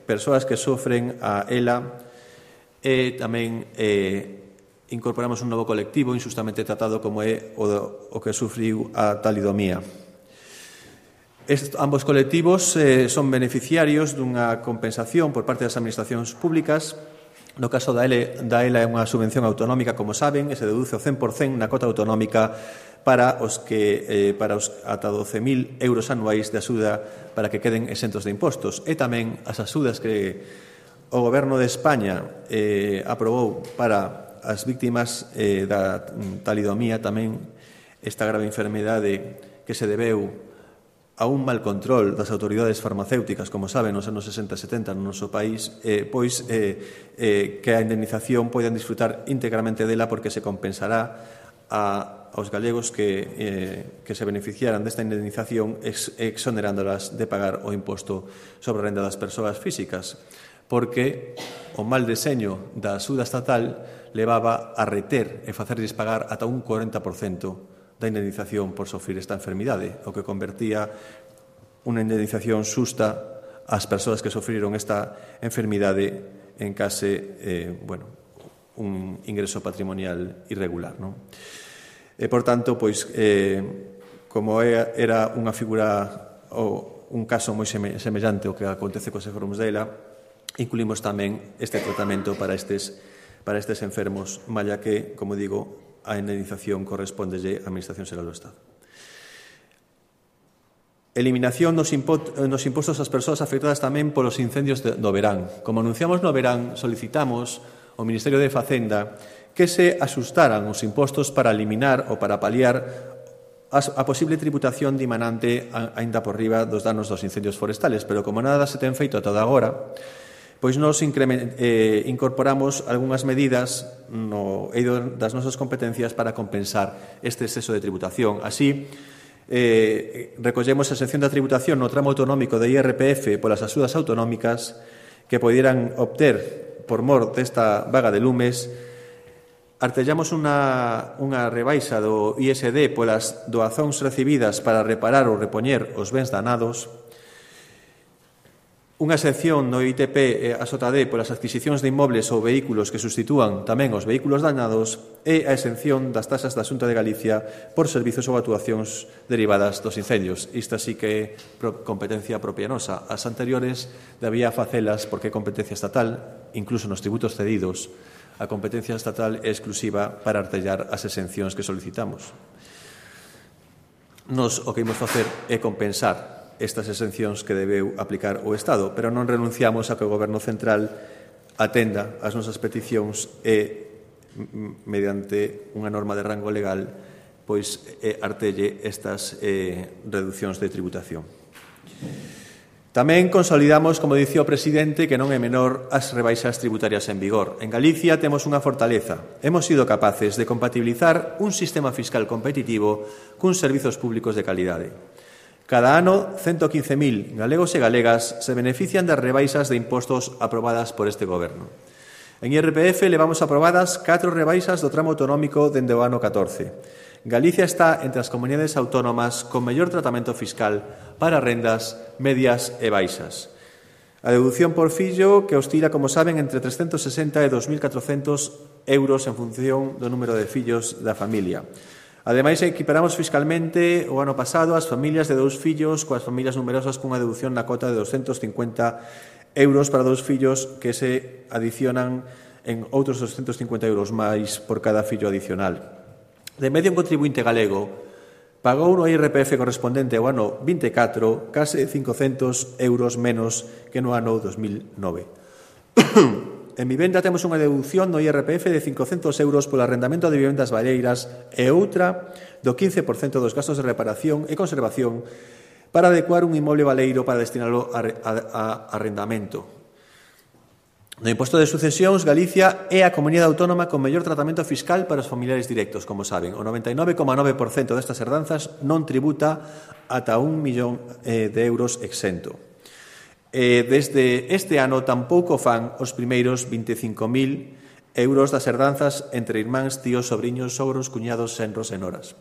persoas que sofren a ELA e tamén incorporamos un novo colectivo injustamente tratado como é o que sufriu a talidomía. Ambos colectivos son beneficiarios dunha compensación por parte das administracións públicas. No caso da ELA é unha subvención autonómica, como saben, e se deduce o 100% na cota autonómica para os ata 12.000 euros anuais de axuda para que queden exentos de impostos. E tamén as axudas que o Goberno de España aprobou para as vítimas da talidomía, tamén esta grave enfermidade que se debeu a un mal control das autoridades farmacéuticas, como saben, nos anos 60 e 70 no noso país, pois que a indemnización poidan disfrutar íntegramente dela porque se compensará aos galegos que se beneficiaran desta indemnización exonerándolas de pagar o imposto sobre a renda das persoas físicas, porque o mal deseño da axuda estatal levaba a reter e facerlles pagar ata un 40% da indemnización por sofrer esta enfermidade, o que convertía unha indemnización xusta ás persoas que sofriron esta enfermidade en case, un ingreso patrimonial irregular, non? E, por tanto, pois, como era unha figura ou un caso moi semellante ao que acontece cos enfermos dela, incluímos tamén este tratamento para estes enfermos, malla que, como digo, a indemnización correspóndelle á Administración Xeral do Estado. Eliminación nos impostos ás persoas afectadas tamén polos incendios do verán. Como anunciamos no verán, solicitamos ao Ministerio de Facenda que se asustaran os impostos para eliminar ou para paliar a posible tributación dimanante aínda por riba dos danos dos incendios forestales, pero como nada se ten feito ata agora, pois nos incorporamos algunhas medidas no eido das nosas competencias para compensar este exceso de tributación. Así, recollemos a exención da tributación no tramo autonómico de IRPF polas axudas autonómicas que poderan obter por mor desta vaga de lumes. Artellamos unha rebaixa do ISD polas doazóns recibidas para reparar ou repoñer os bens danados, unha excepción no ITP a SOTAD polas adquisicións de inmobles ou vehículos que sustitúan tamén os vehículos danados e a exención das taxas da Xunta de Galicia por servizos ou actuacións derivadas dos incendios. Isto sí que é competencia propia nosa. As anteriores debía facelas porque é competencia estatal, incluso nos tributos cedidos. A competencia estatal é exclusiva para artellar as exencións que solicitamos. Nos o que imos facer é compensar estas exencións que debeu aplicar o Estado, pero non renunciamos a que o Goberno Central atenda as nosas peticións e, mediante unha norma de rango legal, pois artelle estas reduccións de tributación. Tamén consolidamos, como dicía o presidente, que non é menor as rebaixas tributarias en vigor. En Galicia temos unha fortaleza. Hemos sido capaces de compatibilizar un sistema fiscal competitivo cuns servizos públicos de calidade. Cada ano, 115.000 galegos e galegas se benefician das rebaixas de impostos aprobadas por este Goberno. En IRPF levamos aprobadas 4 rebaixas do tramo autonómico dende o ano 14. Galicia está entre as comunidades autónomas con mellor tratamento fiscal para rendas medias e baixas. A deducción por fillo, que oscila, como saben, entre 360 e 2.400 euros en función do número de fillos da familia. Ademais, equiparamos fiscalmente o ano pasado as familias de 2 fillos coas familias numerosas cunha deducción na cota de 250 euros para 2 fillos que se adicionan en outros 250 euros máis por cada fillo adicional. De medio, un contribuinte galego pagou no IRPF correspondente ao ano 24 case 500 euros menos que no ano 2009. En vivenda temos unha deducción no IRPF de 500 euros polo arrendamento de vivendas balleiras e outra do 15% dos gastos de reparación e conservación para adecuar un inmoble baleiro para destinalo a arrendamento. No imposto de sucesións, Galicia é a comunidade autónoma con mellor tratamento fiscal para os familiares directos, como saben. O 99,9% destas herdanzas non tributa ata 1 millón de euros exento. Desde este ano tampouco fan os primeiros 25.000 euros das herdanzas entre irmáns, tíos, sobriños, sogros, cuñados, senros e noras.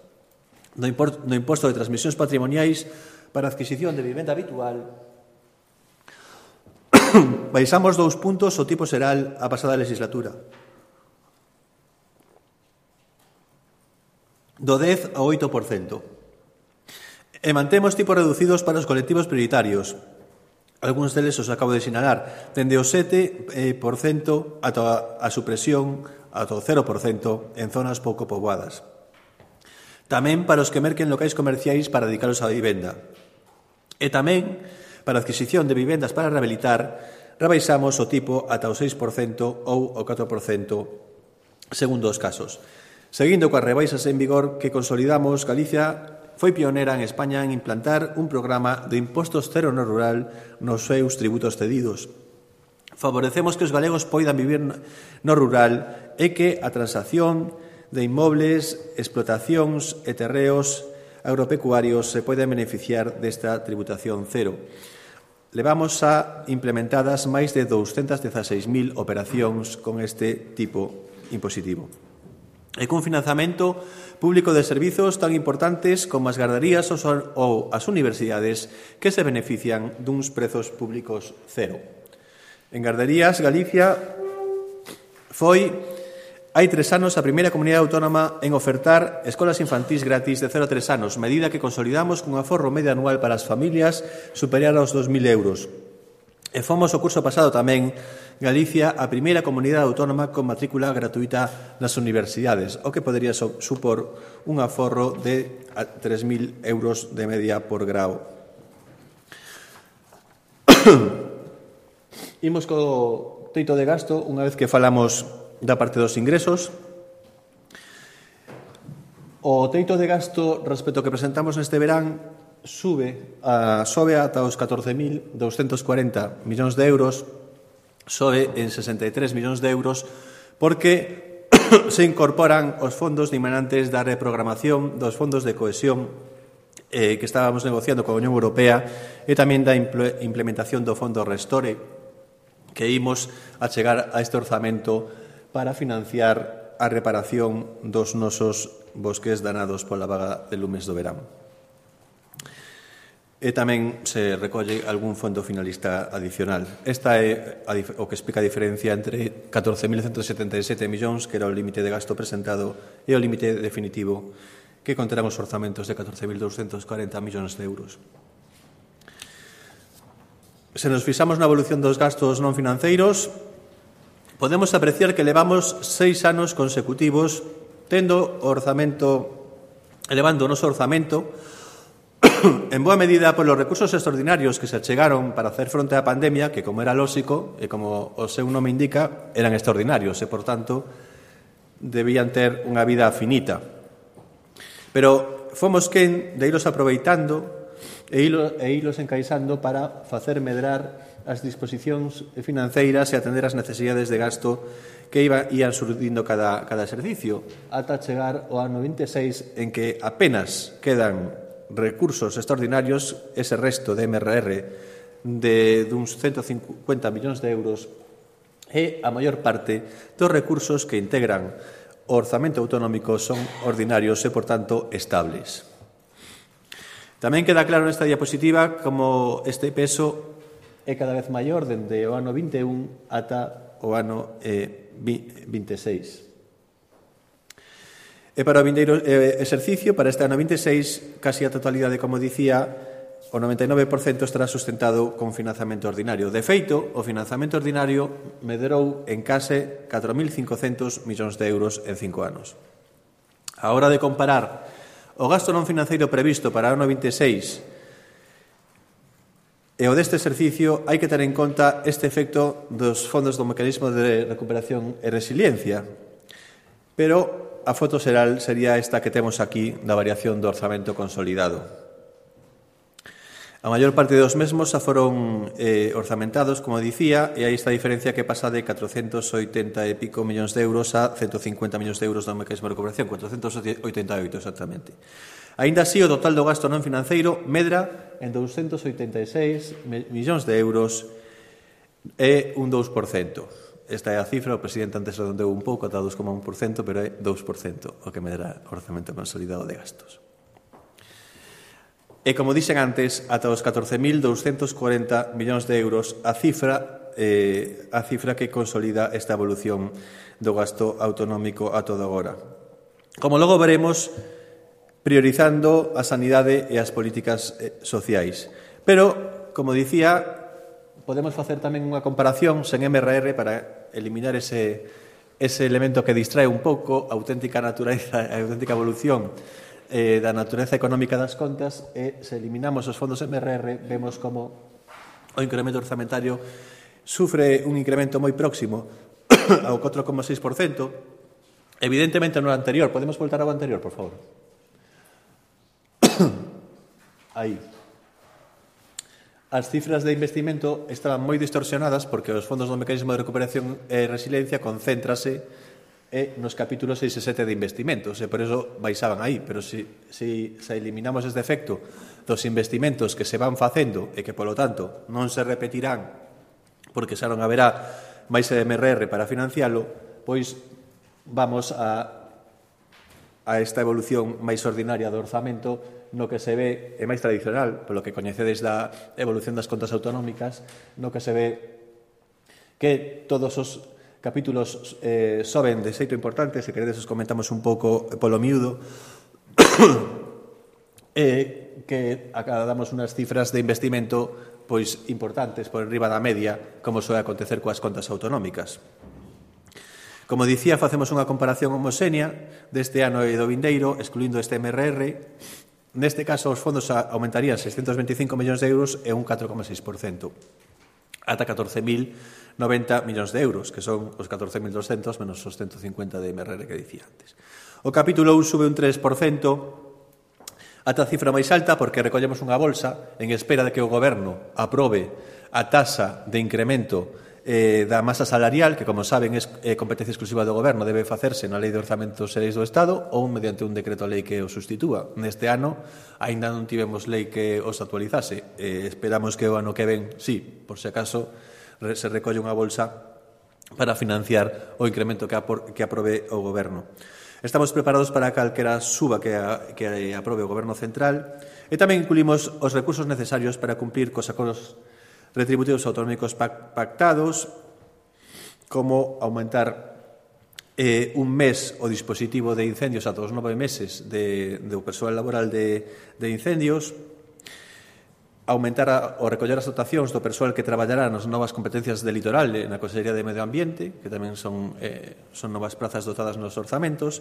No imposto de transmisións patrimoniais para adquisición de vivenda habitual baixamos 2 puntos o tipo xeral a pasada legislatura. Do 10 ao 8%. E mantemos tipos reducidos para os colectivos prioritarios. Algúns deles os acabo de sinalar, dende o 7% ata a supresión ata o 0% en zonas pouco poboadas. Tamén para os que merquen locais comerciais para dedicalos á vivenda. E tamén, para a adquisición de vivendas para rehabilitar, rebaixamos o tipo ata o 6% ou o 4% segundo os casos. Seguindo coas rebaixas en vigor que consolidamos, Galicia foi pionera en España en implantar un programa de impostos cero no rural nos seus tributos cedidos. Favorecemos que os galegos poidan vivir no rural e que a transacción de inmobles, explotacións e terreos agropecuarios se poden beneficiar desta tributación cero. Levamos a implementadas máis de 216.000 operacións con este tipo impositivo. E cun financiamento público de servizos tan importantes como as gardarías ou as universidades que se benefician duns prezos públicos cero. En gardarías, Galicia foi hai 3 anos a primeira comunidade autónoma en ofertar escolas infantís gratis de 0 a 3 anos, medida que consolidamos cun aforro medio anual para as familias superior aos 2.000 euros. E fomos o curso pasado tamén Galicia a primeira comunidade autónoma con matrícula gratuita nas universidades, o que podería supor un aforro de 3.000 euros de media por grao. Imos co teito de gasto, unha vez que falamos da parte dos ingresos. O teito de gasto respecto ao que presentamos neste verán sobe ata os 14.240 millóns de euros, sobe en 63 millóns de euros, porque se incorporan os fondos dimanantes da reprogramación dos fondos de cohesión que estábamos negociando coa Unión Europea e tamén da implementación do fondo Restore, que imos a chegar a este orzamento para financiar a reparación dos nosos bosques danados pola vaga de lumes do verán. E tamén se recolle algún fondo finalista adicional. Esta é o que explica a diferencia entre 14.177 millóns, que era o límite de gasto presentado, e o límite definitivo, que conterán os orzamentos de 14.240 millóns de euros. Se nos fixamos na evolución dos gastos non financeiros, podemos apreciar que levamos 6 anos consecutivos elevando o noso orzamento en boa medida polos recursos extraordinarios que se achegaron para hacer fronte á pandemia, que, como era lóxico e como o seu nome indica, eran extraordinarios e, por tanto, debían ter unha vida finita. Pero fomos quen de ilos aproveitando e ilos encaixando para facer medrar as disposicións financeiras e atender as necesidades de gasto que ían surdindo cada exercicio, ata chegar ao ano 26, en que apenas quedan recursos extraordinarios, ese resto de MRR de duns 150 millóns de euros, e a maior parte dos recursos que integran o orzamento autonómico son ordinarios e, por tanto, estables. Tamén queda claro nesta diapositiva como este peso é cada vez maior dende o ano 21 ata o ano 26. E para o vindeiro exercicio, para este ano 26, casi a totalidade, como dicía, o 99% estará sustentado con financiamento ordinario. De feito, o financiamento ordinario medrou en case 4.500 millóns de euros en 5 anos. A hora de comparar o gasto non financeiro previsto para o ano 26 e o deste exercicio, hai que ter en conta este efecto dos fondos do mecanismo de recuperación e resiliencia. Pero a foto xeral sería esta que temos aquí da variación do orzamento consolidado. A maior parte dos mesmos xa foron orzamentados, como dicía, e aí está a diferencia que pasa de 480 e pico millóns de euros a 150 millóns de euros do mecanismo de recuperación, 488 exactamente. Aínda así, o total do gasto non financeiro medra en 286 millóns de euros e un 2%. Esta é a cifra, o presidente antes redondeou un pouco ata 2,1%, pero é 2% o que medra o orzamento consolidado de gastos. E, como dixen antes, ata os 14.240 millóns de euros a cifra que consolida esta evolución do gasto autonómico a todo agora. Como logo veremos, priorizando a sanidade e as políticas sociais. Pero, como dicía, podemos facer tamén unha comparación sen MRR para eliminar ese elemento que distrae un pouco a auténtica natureza, a auténtica evolución da natureza económica das contas, e se eliminamos os fondos MRR vemos como o incremento orzamentario sufre un incremento moi próximo ao 4,6%. Evidentemente no anterior, podemos voltar ao anterior, por favor. Aí. As cifras de investimento estaban moi distorsionadas porque os fondos do mecanismo de recuperación e resiliencia concéntrase nos capítulos 6 e 7 de investimentos, e por eso baixaban aí. Pero se eliminamos este efecto dos investimentos que se van facendo e que, polo tanto, non se repetirán porque xa non haberá máis MRR para financialo, pois vamos a esta evolución máis ordinaria do orzamento, no que se ve, é máis tradicional, polo que coñecedes da evolución das contas autonómicas, no que se ve que todos os capítulos soben de xeito importante, se queredes os comentamos un pouco polo miúdo, que damos unhas cifras de investimento pois importantes por enriba da media, como soe acontecer coas contas autonómicas. Como dicía, facemos unha comparación homoxénea deste ano e do vindeiro, excluindo este MRR. Neste caso, os fondos aumentarían 625 millóns de euros e un 4,6%, ata 14.090 millóns de euros, que son os 14.200 menos os 150 de MRR que dicía antes. O capítulo 1 sube un 3%, ata a cifra máis alta porque recollemos unha bolsa en espera de que o Goberno aprobe a taxa de incremento da masa salarial, que, como saben, é competencia exclusiva do Goberno, debe facerse na Lei de Orzamentos e Leis do Estado ou mediante un decreto lei que o sustitúa. Neste ano, aínda non tivemos lei que os actualizase. Esperamos que o ano que ven, sí, por se acaso, se recolle unha bolsa para financiar o incremento que aprobe o Goberno. Estamos preparados para calquera suba que aprobe o Goberno central e tamén incluímos os recursos necesarios para cumplir cos acordos retributivos autonómicos pactados, como aumentar un mes o dispositivo de incendios ata os 9 meses do persoal laboral de incendios, aumentar ou recoller as dotacións do persoal que traballará nas novas competencias de litoral na Consellería de Medio Ambiente, que tamén son novas prazas dotadas nos orzamentos,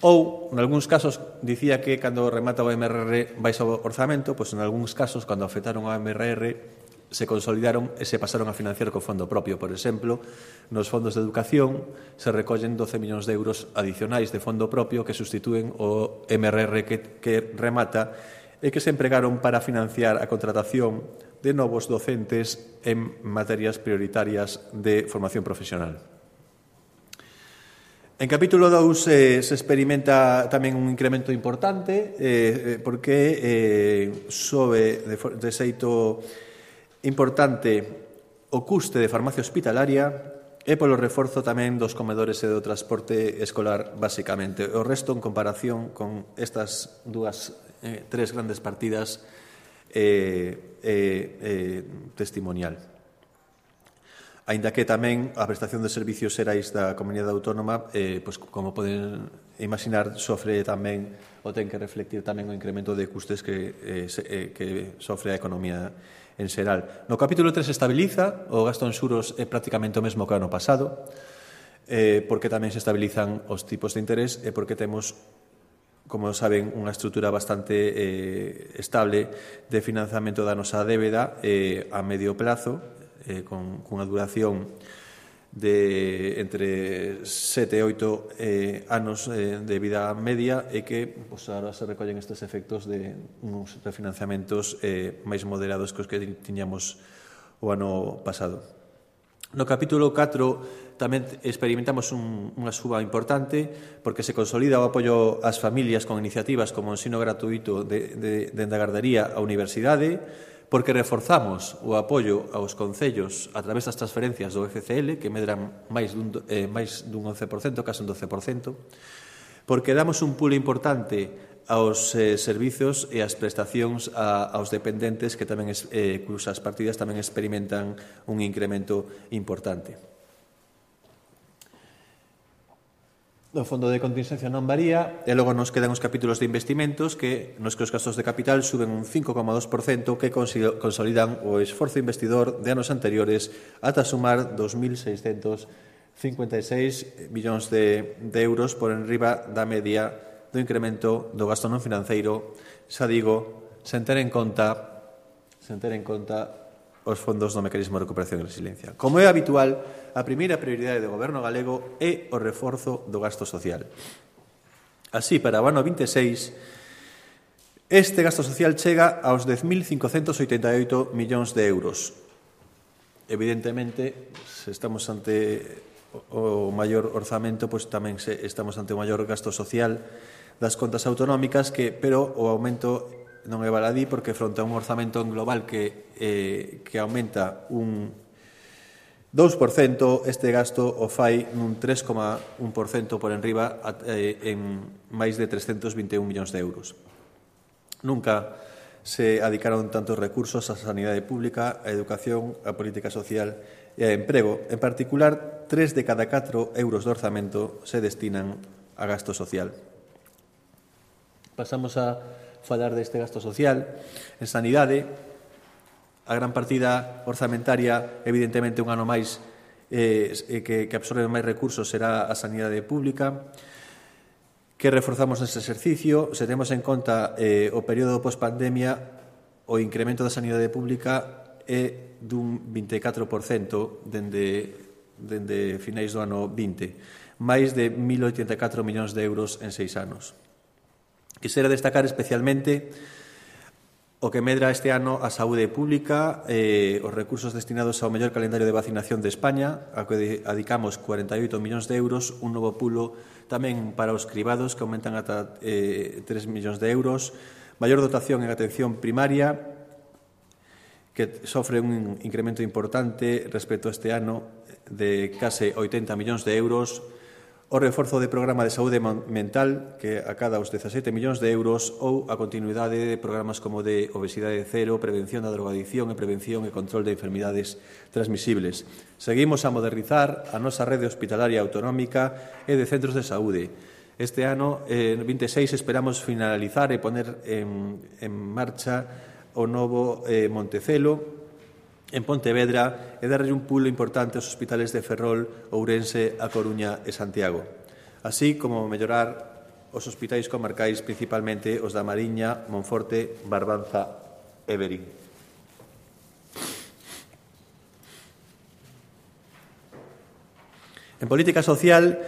ou, en algúns casos, dicía que cando remata o MRR vais ao orzamento, pois en algúns casos, cando afectaron ao MRR, se consolidaron e se pasaron a financiar co fondo propio. Por exemplo, nos fondos de educación se recollen 12 millóns de euros adicionais de fondo propio que sustitúen o MRR que remata e que se empregaron para financiar a contratación de novos docentes en materias prioritarias de formación profesional. En capítulo 2 se experimenta tamén un incremento importante porque sobe de xeito importante o custe de farmacia hospitalaria e polo reforzo tamén dos comedores e do transporte escolar, basicamente. O resto, en comparación con estas tres grandes partidas, testimonial. Aínda que tamén a prestación de servicios xerais da Comunidade Autónoma, pois, como poden imaginar, sofre tamén ou ten que reflectir tamén o incremento de custes que sofre a economía en xeral. No capítulo 3 se estabiliza, o gasto en xuros é prácticamente o mesmo que o ano pasado, porque tamén se estabilizan os tipos de interés e porque temos, como saben, unha estrutura bastante estable de financiamento da nosa débeda a medio plazo, con unha duración de entre 7 e 8 anos de vida media e que agora se recollen estes efectos de uns refinanciamentos máis moderados que os que tiñamos o ano pasado. No capítulo 4 tamén experimentamos unha suba importante porque se consolida o apoio ás familias con iniciativas como o ensino gratuito de gardería á universidade, porque reforzamos o apoio aos concellos a través das transferencias do FCL, que medran máis dun 11%, case un 12%, porque damos un pulo importante aos servizos e ás prestacións aos dependentes que tamén, cusas partidas tamén experimentan un incremento importante. O fondo de contingencia non varía e logo nos quedan os capítulos de investimentos que nos que os gastos de capital suben un 5,2% que consolidan o esforzo investidor de anos anteriores ata sumar 2.656 millóns de euros por enriba da media do incremento do gasto non financeiro, xa digo, sen ter en conta os fondos do mecanismo de recuperación e resiliencia. Como é habitual, a primeira prioridade do Goberno galego é o reforzo do gasto social. Así, para o ano 26, este gasto social chega aos 10.588 millóns de euros. Evidentemente, se estamos ante o maior orzamento, pois tamén estamos ante o maior gasto social das contas autonómicas, pero o aumento non é baladí porque fronte a un orzamento en global que aumenta un 2%, este gasto o fai nun 3,1% por enriba en máis de 321 millóns de euros. Nunca se adicaron tantos recursos á sanidade pública, á educación, á política social e ao emprego. En particular, 3 de cada 4 euros do orzamento se destinan a gasto social. Pasamos a falar deste gasto social. En sanidade, a gran partida orzamentaria, evidentemente, un ano máis que absorbe máis recursos será a sanidade pública. Que reforzamos neste exercicio? Se temos en conta o período post-pandemia, o incremento da sanidade pública é dun 24% dende finais do ano 20, máis de 1.084 millóns de euros en 6 anos. Quisera destacar especialmente o que medra este ano a saúde pública, os recursos destinados ao mellor calendario de vacinación de España, a que adicamos 48 millóns de euros, un novo pulo tamén para os cribados, que aumentan ata 3 millóns de euros, maior dotación en atención primaria, que sofre un incremento importante respecto a este ano de case 80 millóns de euros, o reforzo de programa de saúde mental, que acada os 17 millóns de euros, ou a continuidade de programas como de obesidade cero, prevención da drogadicción e prevención e control de enfermidades transmisibles. Seguimos a modernizar a nosa rede hospitalaria autonómica e de centros de saúde. Este ano, en 26, esperamos finalizar e poner en marcha o novo Montecelo, en Pontevedra, e darlle un pulo importante aos hospitales de Ferrol, Ourense, A Coruña e Santiago, así como mellorar os hospitais comarcais, principalmente os da Mariña, Monforte, Barbanza e Verín. En política social,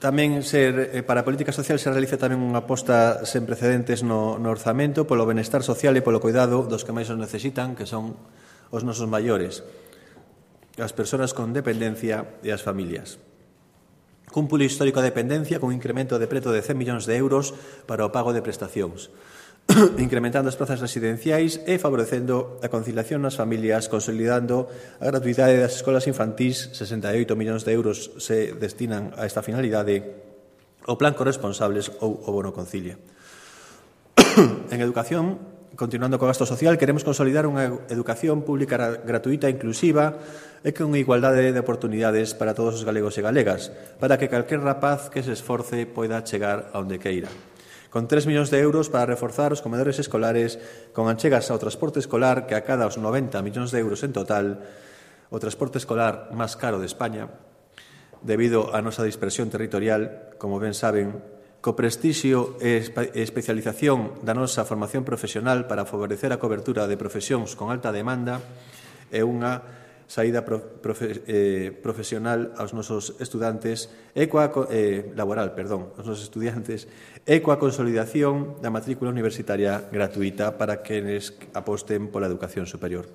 para a política social se realiza tamén unha aposta sen precedentes no orzamento polo benestar social e polo cuidado dos que máis os necesitan, que son os nosos maiores, as persoas con dependencia e as familias. Cun pulo histórico de dependencia con un incremento de preto de 100 millóns de euros para o pago de prestacións, incrementando as prazas residenciais e favorecendo a conciliación nas familias, consolidando a gratuidade das escolas infantís, 68 millóns de euros se destinan a esta finalidade, o plan corresponsables ou o bono concilia. En educación, continuando co gasto social, queremos consolidar unha educación pública gratuita e inclusiva e con igualdade de oportunidades para todos os galegos e galegas, para que calquer rapaz que se esforce poida chegar a onde queira. Con 3 millóns de euros para reforzar os comedores escolares, con achegas ao transporte escolar, que acada os 90 millóns de euros en total, o transporte escolar máis caro de España, debido á nosa dispersión territorial, como ben saben, co prestixio e especialización da nosa formación profesional para favorecer a cobertura de profesións con alta demanda e unha saída profesional aos nosos estudantes aos nosos estudiantes e coa consolidación da matrícula universitaria gratuita para quenes aposten pola educación superior.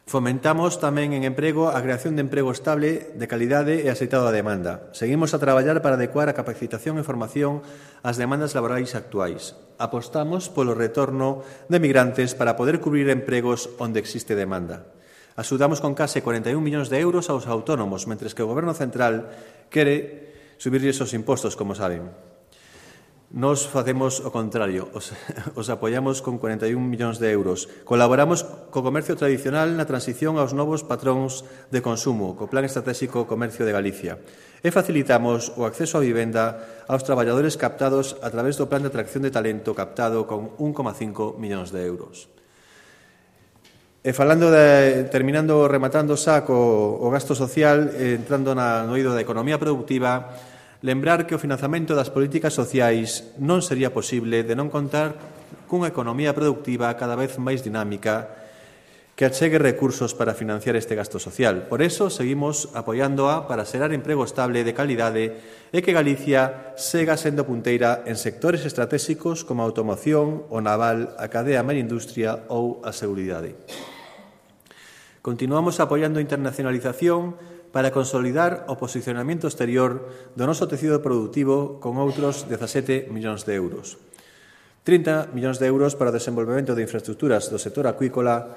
Fomentamos tamén en emprego a creación de emprego estable, de calidade e axeitado a demanda. Seguimos a traballar para adecuar a capacitación e formación ás demandas laborais actuais. Apostamos polo retorno de migrantes para poder cubrir empregos onde existe demanda. Axudamos con case 41 millóns de euros aos autónomos, mentres que o Goberno central quere subirlles os impostos, como saben. Nos facemos o contrario, os apoiamos con 41 millóns de euros. Colaboramos co comercio tradicional na transición aos novos patróns de consumo, co Plan Estratégico Comercio de Galicia. E facilitamos o acceso á vivenda aos traballadores captados a través do Plan de Atracción de Talento captado con 1,5 millóns de euros. E rematando xa o gasto social, entrando no eido da economía productiva, lembrar que o financiamento das políticas sociais non sería posible de non contar cunha economía productiva cada vez máis dinámica que achegue recursos para financiar este gasto social. Por eso, seguimos apoiándoa para xerar emprego estable de calidade e que Galicia sega sendo punteira en sectores estratégicos como a automoción, o naval, a cadea industria ou a seguridade. Continuamos apoiando a internacionalización para consolidar o posicionamento exterior do noso tecido productivo con outros 17 millóns de euros. 30 millóns de euros para o desenvolvemento de infraestructuras do sector acuícola,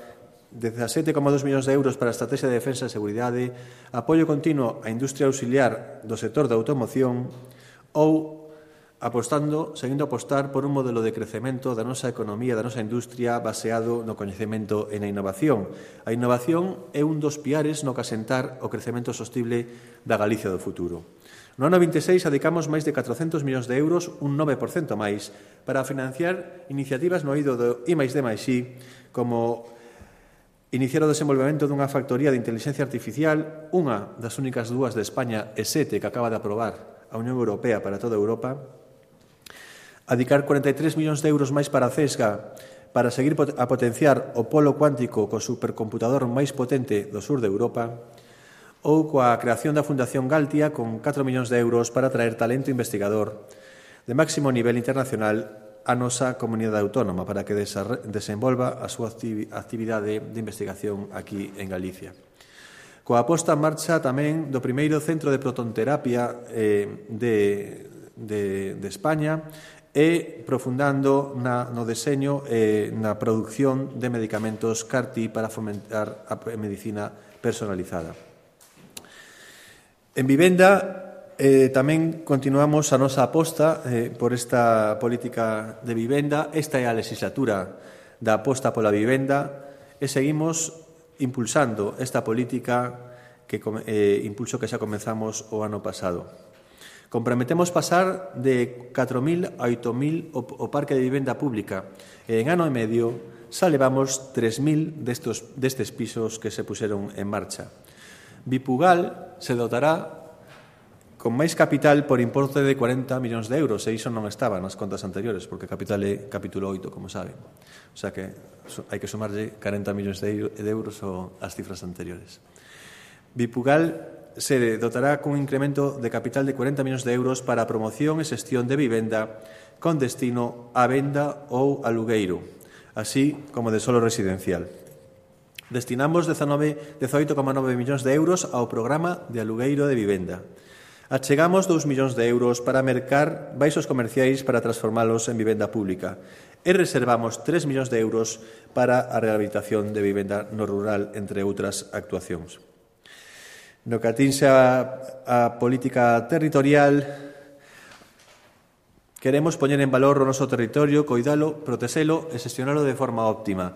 17,2 millóns de euros para a estrategia de defensa e seguridade, apoio continuo á industria auxiliar do sector da automoción ou seguindo a apostar por un modelo de crecemento da nosa economía, da nosa industria baseado no coñecemento e na innovación. A innovación é un dos piares no que asentar o crecemento sostible da Galicia do futuro. No ano 26 adicamos máis de 400 millóns de euros, un 9% máis, para financiar iniciativas no eido do I+D+I, como iniciar o desenvolvemento dunha factoría de inteligencia artificial, unha das únicas dúas de España e 7 que acaba de aprobar a Unión Europea para toda Europa, adicar 43 millóns de euros máis para a CESGA para seguir a potenciar o polo cuántico co supercomputador máis potente do sur de Europa, ou coa creación da Fundación Galtia con 4 millóns de euros para traer talento investigador de máximo nivel internacional a nosa comunidade autónoma para que desenvolva a súa actividade de investigación aquí en Galicia. Coa posta en marcha tamén do primeiro centro de protonterapia de España e profundando no deseño e na produción de medicamentos CAR-T para fomentar a medicina personalizada. En vivenda, tamén continuamos a nosa aposta por esta política de vivenda. Esta é a legislatura da aposta pola vivenda e seguimos impulsando esta política impulso que xa comenzamos o ano pasado. Comprometemos pasar de 4.000 a 8.000 o parque de vivenda pública e en ano e medio xa levamos 3.000 destes pisos que se puseron en marcha. Bipugal se dotará con máis capital por importe de 40 millóns de euros e iso non estaba nas contas anteriores porque capital é capítulo 8, como saben. O sea que hai que sumarlle 40 millóns de euros ás cifras anteriores. Bipugal se dotará cun incremento de capital de 40 millóns de euros para a promoción e xestión de vivenda con destino a venda ou alugueiro, así como de solo residencial. Destinamos 18,9 millóns de euros ao programa de alugueiro de vivenda. Achegamos 2 millóns de euros para mercar baixos comerciais para transformalos en vivenda pública e reservamos 3 millóns de euros para a rehabilitación de vivenda no rural, entre outras actuacións. No que atinxe a política territorial, queremos poñer en valor o noso territorio, coidalo, protexelo e xestionalo de forma óptima.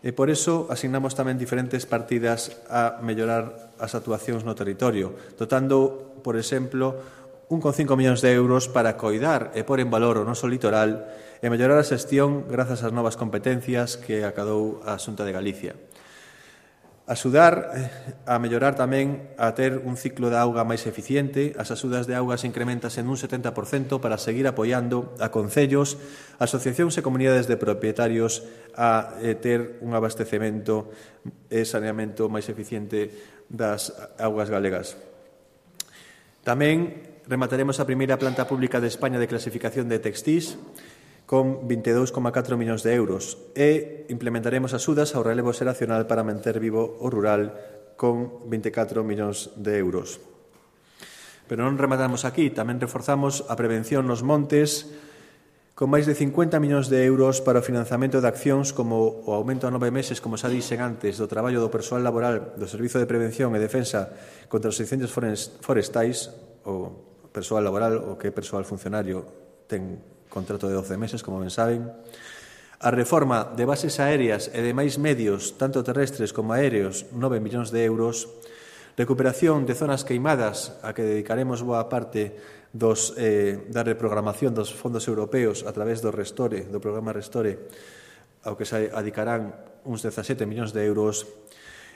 E por iso asignamos tamén diferentes partidas a mellorar as actuacións no territorio, dotando, por exemplo, 1,5 millóns de euros para coidar e pôr en valor o noso litoral e mellorar a xestión grazas ás novas competencias que acadou a Xunta de Galicia. Axudar a mellorar tamén a ter un ciclo de auga máis eficiente. As axudas de auga se incrementan en un 70% para seguir apoiando a concellos, asociacións e comunidades de propietarios a ter un abastecemento e saneamento máis eficiente das augas galegas. Tamén remataremos a primeira planta pública de España de clasificación de textís con 22,4 millóns de euros e implementaremos axudas ao relevo xeracional para manter vivo o rural con 24 millóns de euros. Pero non rematamos aquí, tamén reforzamos a prevención nos montes con máis de 50 millóns de euros para o financiamento de accións como o aumento a 9 meses, como xa dixen antes, do traballo do persoal laboral do Servizo de Prevención e Defensa contra os incendios forestais, o persoal laboral, o que é persoal funcionario, ten contrato de 12 meses, como ben saben. A reforma de bases aéreas e de máis medios, tanto terrestres como aéreos, 9 millóns de euros. Recuperación de zonas queimadas, a que dedicaremos boa parte da reprogramación dos fondos europeos a través do programa Restore, ao que se adicarán uns 17 millóns de euros.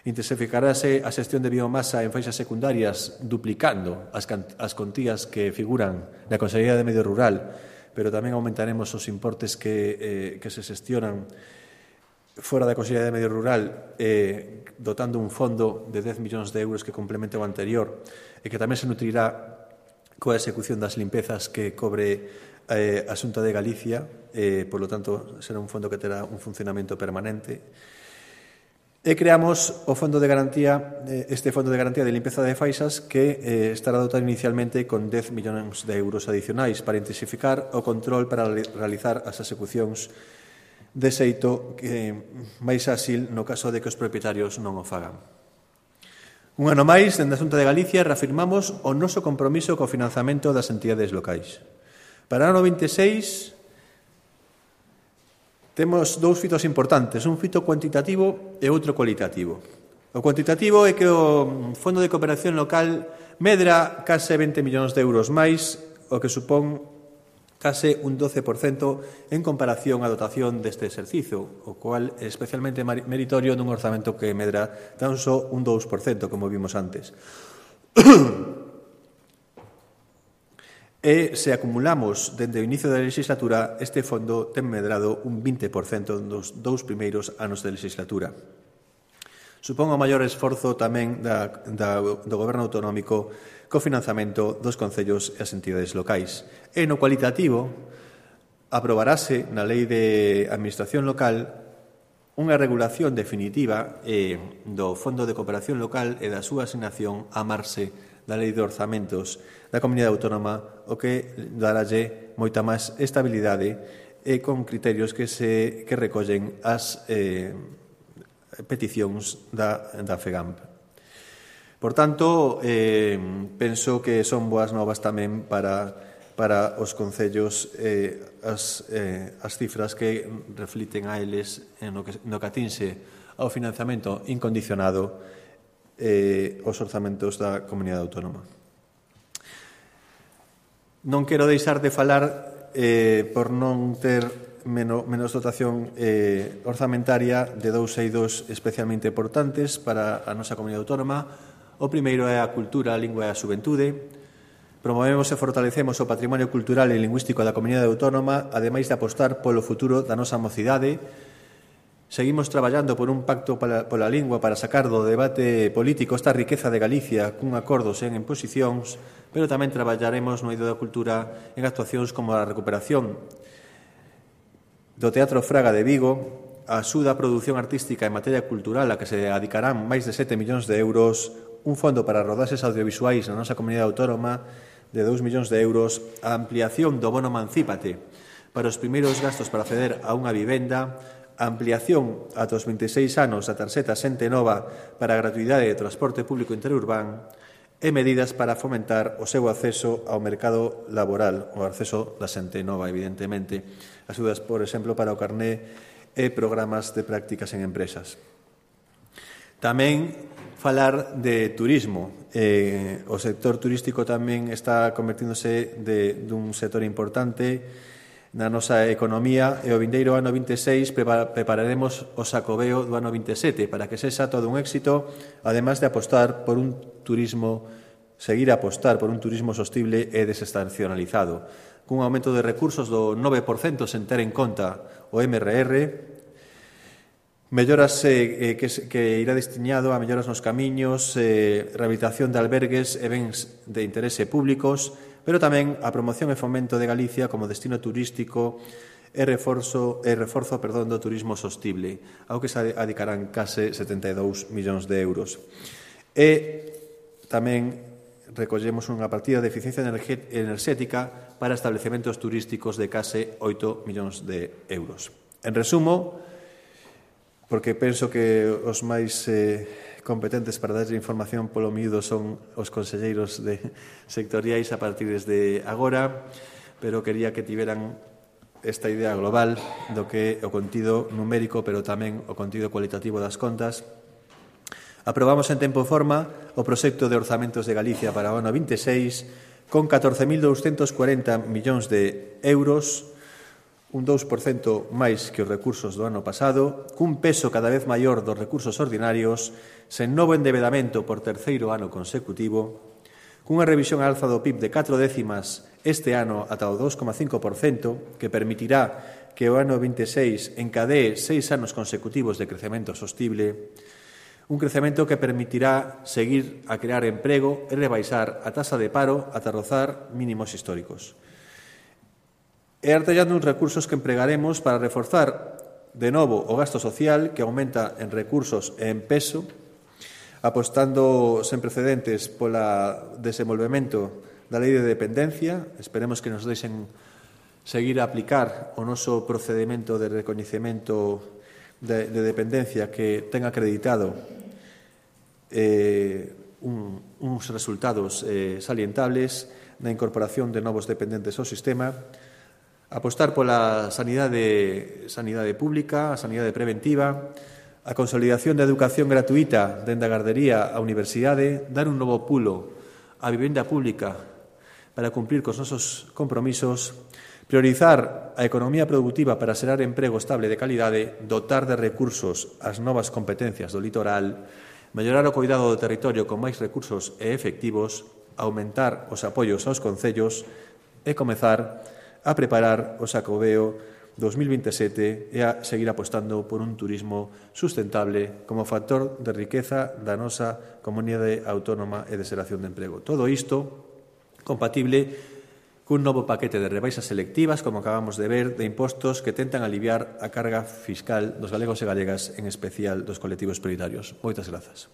Intensificarase a xestión de biomasa en faixas secundarias, duplicando as contías que figuran na Consellería de Medio Rural, pero tamén aumentaremos os importes que se xestionan fora da Consellería de Medio Rural, dotando un fondo de 10 millóns de euros que complemente o anterior e que tamén se nutrirá coa execución das limpezas que cobre a Xunta de Galicia, por lo tanto, será un fondo que terá un funcionamento permanente. E creamos o fondo de garantía, este fondo de garantía de limpeza de faixas que estará dotado inicialmente con 10 millóns de euros adicionais para intensificar o control para realizar as execucións de xeito máis áxil no caso de que os propietarios non o fagan. Un ano máis, dende a Xunta de Galicia, reafirmamos o noso compromiso co financiamento das entidades locais. Para o ano 26 temos dous fitos importantes, un fito cuantitativo e outro cualitativo. O cuantitativo é que o Fondo de Cooperación Local medra case 20 millóns de euros máis, o que supón case un 12% en comparación á dotación deste exercicio, o cual é especialmente meritorio dun orzamento que medra tan só un 2%, como vimos antes. E se acumulamos dende o inicio da legislatura, este fondo ten medrado un 20% nos dous primeiros anos de legislatura. Supón o maior esforzo tamén do Goberno autonómico co financiamento dos concellos e as entidades locais. E no cualitativo, aprobarase na Lei de Administración Local unha regulación definitiva do Fondo de Cooperación Local e da súa asignación a marxe da Lei de Orzamentos da Comunidade Autónoma, o que daralle moita máis estabilidade e con criterios que recollen as peticións da FEGAMP. Por tanto, penso que son boas novas tamén para os concellos as cifras que refliten a eles no que atinse ao financiamento incondicionado os orzamentos da Comunidade Autónoma. Non quero deixar de falar, por non ter menos dotación orzamentaria, de dous eidos especialmente importantes para a nosa Comunidade Autónoma. O primeiro é a cultura, a lingua e a xuventude. Promovemos e fortalecemos o patrimonio cultural e lingüístico da Comunidade Autónoma, ademais de apostar polo futuro da nosa mocidade. Seguimos traballando por un pacto pola lingua para sacar do debate político esta riqueza de Galicia cun acordo sen imposicións, pero tamén traballaremos no eido da cultura en actuacións como a recuperación do Teatro Fraga de Vigo, a axuda á produción artística en materia cultural a que se dedicarán máis de 7 millóns de euros, un fondo para rodaxes audiovisuais na nosa Comunidade Autónoma de 2 millóns de euros, a ampliación do bono Emancípate para os primeiros gastos para acceder a unha vivenda, a ampliación ata os 26 anos da tarxeta Xente Nova para a gratuidade de transporte público interurbán e medidas para fomentar o seu acceso ao mercado laboral, o acceso da xente nova, evidentemente. Axudas, por exemplo, para o carné e programas de prácticas en empresas. Tamén falar de turismo. O sector turístico tamén está convertíndose dun sector importante na nosa economía e o vindeiro ano 26 prepararemos o Xacobeo do ano 27 para que sexa todo un éxito, además de seguir a apostar por un turismo sostible e desestacionalizado, cun aumento de recursos do 9% sen ter en conta o MRR, melloras que irá destinado a melloras nos camiños, rehabilitación de albergues e bens de interese públicos, pero tamén a promoción e fomento de Galicia como destino turístico e reforzo do turismo sostible, ao que se dedicarán case 72 millóns de euros. E tamén recollemos unha partida de eficiencia enerxética para establecementos turísticos de case 8 millóns de euros. En resumo, porque penso que os máis competentes para darlle información polo miúdo son os conselleiros sectoriais a partir desde agora, pero quería que tiveran esta idea global do que é o contido numérico, pero tamén o contido cualitativo das contas. Aprobamos en tempo e forma o proxecto de orzamentos de Galicia para o ano 26 con 14.240 millóns de euros, un 2% máis que os recursos do ano pasado, cun peso cada vez maior dos recursos ordinarios, sen novo endebedamento por terceiro ano consecutivo, cunha revisión á alza do PIB de 4 décimas este ano ata o 2,5%, que permitirá que o ano 26 encadee 6 anos consecutivos de crecemento sostible, un crecemento que permitirá seguir a crear emprego e rebaixar a taxa de paro ata rozar mínimos históricos. E artellando uns recursos que empregaremos para reforzar de novo o gasto social, que aumenta en recursos e en peso, apostando sen precedentes pola desenvolvemento da Lei de Dependencia. Esperemos que nos deixen seguir a aplicar o noso procedimento de recoñecemento de dependencia que ten acreditado uns resultados salientables, na incorporación de novos dependentes ao sistema, apostar pola sanidade pública, a sanidade preventiva, a consolidación da educación gratuita dende a gardería á universidade, dar un novo pulo á vivenda pública para cumprir cos nosos compromisos, priorizar a economía productiva para xerar emprego estable de calidade, dotar de recursos as novas competencias do litoral, mellorar o cuidado do territorio con máis recursos e efectivos, aumentar os apoios aos concellos e comezar a preparar o Xacobeo 2027 e a seguir apostando por un turismo sustentable como factor de riqueza da nosa comunidade autónoma e de xeración de emprego. Todo isto compatible cun novo paquete de rebaixas selectivas, como acabamos de ver, de impostos que tentan aliviar a carga fiscal dos galegos e galegas, en especial dos colectivos prioritarios. Moitas grazas.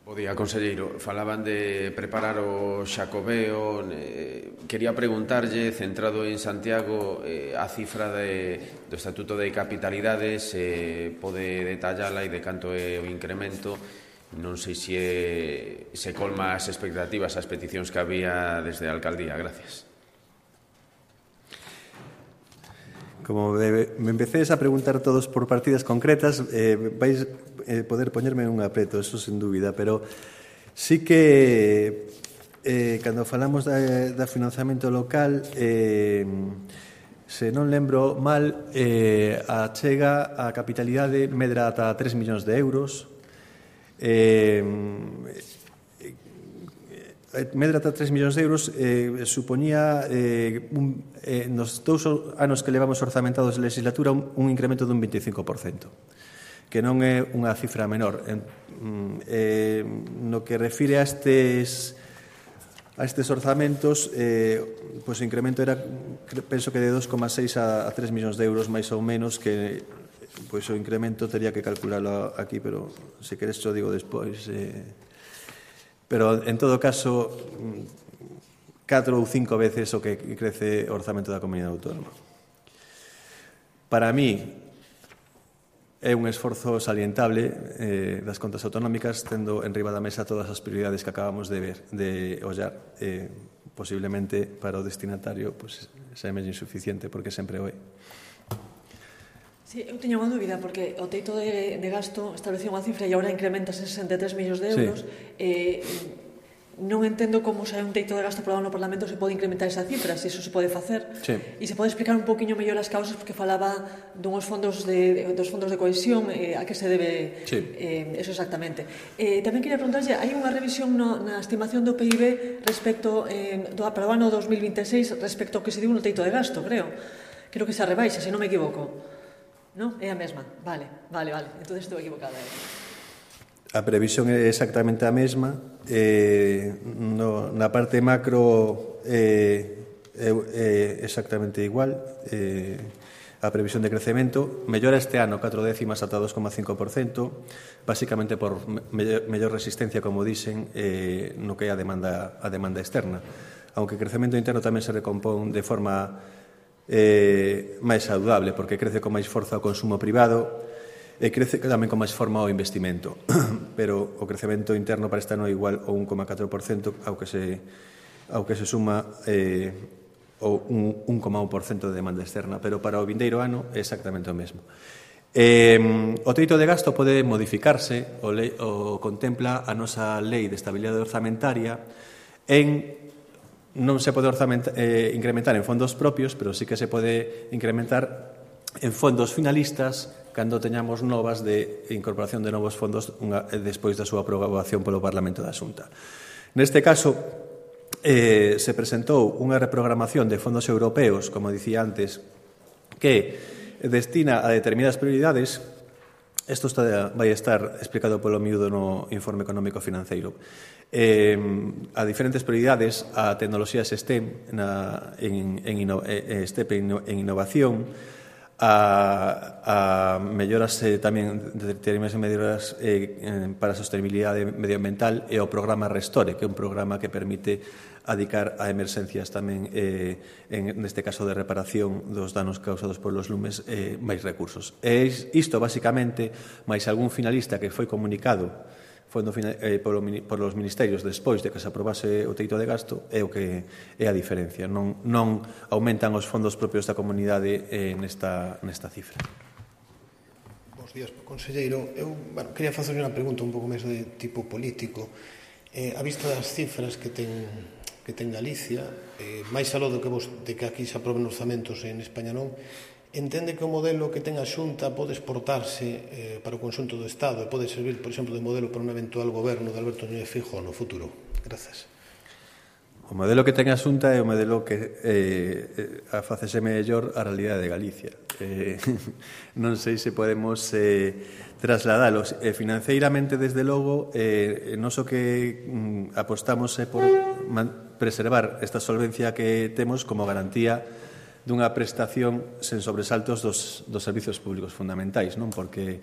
Bo día, conselleiro. Falaban de preparar o Xacobeo. Quería preguntarlle, centrado en Santiago, a cifra do Estatuto de Capitalidade, se pode detallala e de canto é o incremento. Non sei se colma as expectativas, as peticións que había desde a alcaldía. Gracias. Como me empecéis a preguntar todos por partidas concretas, vais poder poñerme un apreto, eso sen dúbida, pero sí que cando falamos da financiamento local, se non lembro mal, a chega a capitalidade medra ata 3 millóns de euros, medra ata 3 millóns de euros, supoñía nos 2 anos que levamos orzamentados de legislatura un incremento dun 25%, que non é unha cifra menor. No que refire a estes orzamentos, pois o incremento era, penso que de 2,6 a 3 millóns de euros, máis ou menos, que pois o incremento teria que calcularlo aquí, pero se queres xo digo despois. Pero, en todo caso, 4 ou 5 veces o que crece o orzamento da comunidade autónoma. Para mí, é un esforzo salientable das contas autonómicas, tendo en riba da mesa todas as prioridades que acabamos de ver, de ollar. Posiblemente, para o destinatario, pues, xa é medio insuficiente, porque sempre o é. Sí, eu teño unha dúbida, porque o teito de gasto establecía unha cifra e agora incrementa 63 millóns de euros. Sí. Non entendo como se hai un teito de gasto aprobado no Parlamento se pode incrementar esa cifra, se iso se pode facer. Sí. E se pode explicar un poquinho mellor as causas, porque falaba dos fondos de cohesión, a que se debe. Sí. Eso exactamente. Tamén quería preguntarlle, hai unha revisión na estimación do PIB respecto para o ano 2026 respecto ao que se diu no teito de gasto, creo. Creo que se rebaixa, se non me equivoco. Non? É a mesma. Vale. Entón estou equivocada. A previsión é exactamente a mesma. Na parte macro é exactamente igual. A previsión de crecemento mellora este ano 4 décimas ata 2,5%, basicamente por mellor resistencia, como dicen, no que é a demanda externa. Aunque o crecemento interno tamén se recompón de forma máis saudable, porque crece con máis forza o consumo privado e crece tamén con máis forma o investimento, pero o crecemento interno para este ano é igual ao 1,4%, ao que se suma o 1,1% de demanda externa, pero para o vindeiro ano é exactamente o mesmo. O teito de gasto pode modificarse, o contempla a nosa lei de estabilidade orzamentaria, non se pode incrementar en fondos propios, pero sí que se pode incrementar en fondos finalistas cando teñamos novas de incorporación de novos fondos despois da súa aprobación polo Parlamento da Xunta. Neste caso, se presentou unha reprogramación de fondos europeos, como dicía antes, que destina a determinadas prioridades. Isto vai estar explicado polo miúdo no informe económico financeiro. A diferentes prioridades, a tecnoloxías STEM en innovación, a melloras tamén determinadas medidas para a sostenibilidade medioambiental e o programa Restore, que é un programa que permite adicar a emerxencias tamén, neste caso de reparación dos danos causados polos lumes, máis recursos. E isto, basicamente, máis algún finalista que foi comunicado polos ministerios despois de que se aprobase o teito de gasto, é o que é a diferencia. Non aumentan os fondos propios da comunidade nesta cifra. Bos días, conselleiro. Eu quería facer unha pregunta un pouco máis de tipo político. A vista das cifras que ten Galicia, máis aló de que aquí se aproben orzamentos en España non, entende que o modelo que ten a Xunta pode exportarse para o conxunto do Estado e pode servir, por exemplo, de modelo para un eventual goberno de Alberto Núñez Feijóo no futuro? Grazas. O modelo que ten a Xunta é o modelo que facese mellor a realidade de Galicia. Non sei se podemos trasladalos. Financeiramente, desde logo, non só que apostamos por preservar esta solvencia que temos como garantía dunha prestación sen sobresaltos dos servizos públicos fundamentais, non? Porque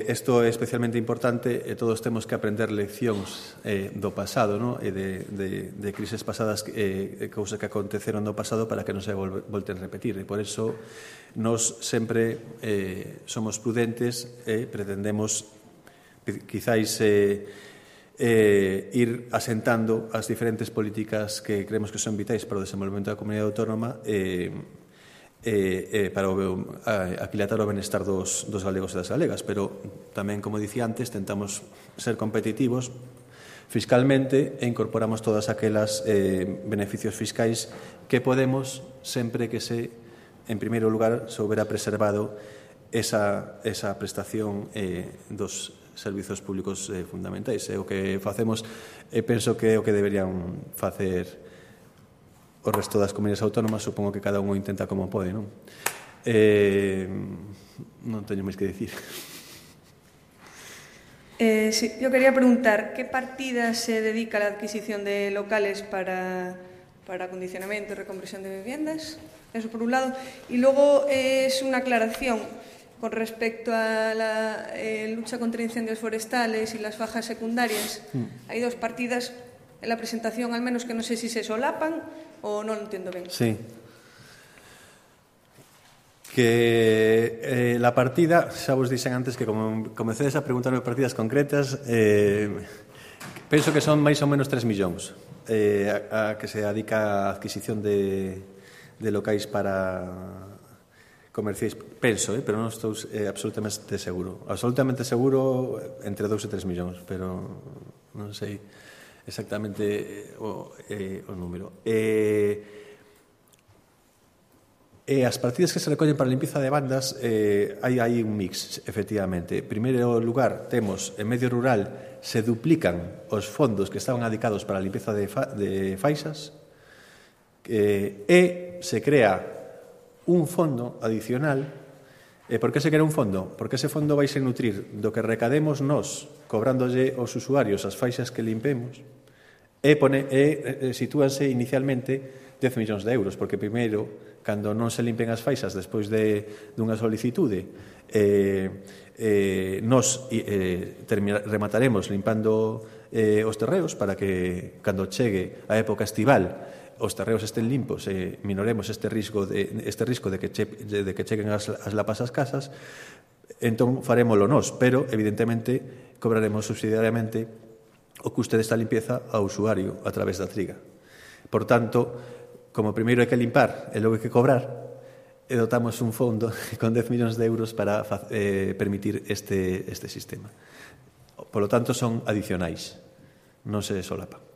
isto é especialmente importante e todos temos que aprender leccións do pasado, non? E de crises pasadas, cousas que aconteceron no pasado para que non se volten a repetir. E por iso nos sempre somos prudentes e pretendemos quizáis ir asentando as diferentes políticas que creemos que son vitais para o desenvolvemento da comunidade autónoma para aquilatar o benestar dos galegos e das galegas, pero tamén, como dicía antes, tentamos ser competitivos fiscalmente e incorporamos todas aquelas beneficios fiscais que podemos sempre que en primeiro lugar, se houbera preservado esa prestación dos servizos públicos fundamentais. É o que facemos e penso que é o que deberían facer o resto das comunidades autónomas. Supongo que cada un o intenta como pode, non? Non teño máis que dicir. Sí, yo quería preguntar, ¿qué partida se dedica a la adquisición de locales para acondicionamiento y reconversión de viviendas? Eso por un lado. Y luego es una aclaración con respecto a la lucha contra incendios forestales y las fajas secundarias. Hay dos partidas en la presentación, al menos, que no sé si se solapan o no lo entiendo ben. Sí. Que la partida, xa vos dixen antes que como comecedes a preguntarme partidas concretas, penso que son máis ou menos 3 millóns a que se dedica a adquisición de locais para comerciais, penso, pero non estou absolutamente seguro. Absolutamente seguro entre 2 e 3 millóns, pero non sei exactamente o número. E as partidas que se recollen para a limpieza de bandas, hai un mix, efectivamente. En primeiro lugar, temos, en medio rural, se duplican os fondos que estaban adicados para a limpieza de faixas e se crea un fondo adicional. Por que se crea un fondo? Porque ese fondo vai se nutrir do que recademos nós cobrándolle aos usuarios as faixas que limpemos e sitúanse inicialmente 10 millóns de euros, porque primeiro, cando non se limpen as faixas despois dunha solicitude, nos remataremos limpando os terreos para que cando chegue a época estival os terreos estén limpos e minoremos este risco de que cheguen as lapas ás casas. Entón farémolo nós, pero evidentemente cobraremos subsidiariamente o custe desta limpieza ao usuario a través da triga. Por tanto, como primeiro hai que limpar e logo hai que cobrar, e dotamos un fondo con 10 millóns de euros para permitir este sistema. Por lo tanto, son adicionais, non se solapan.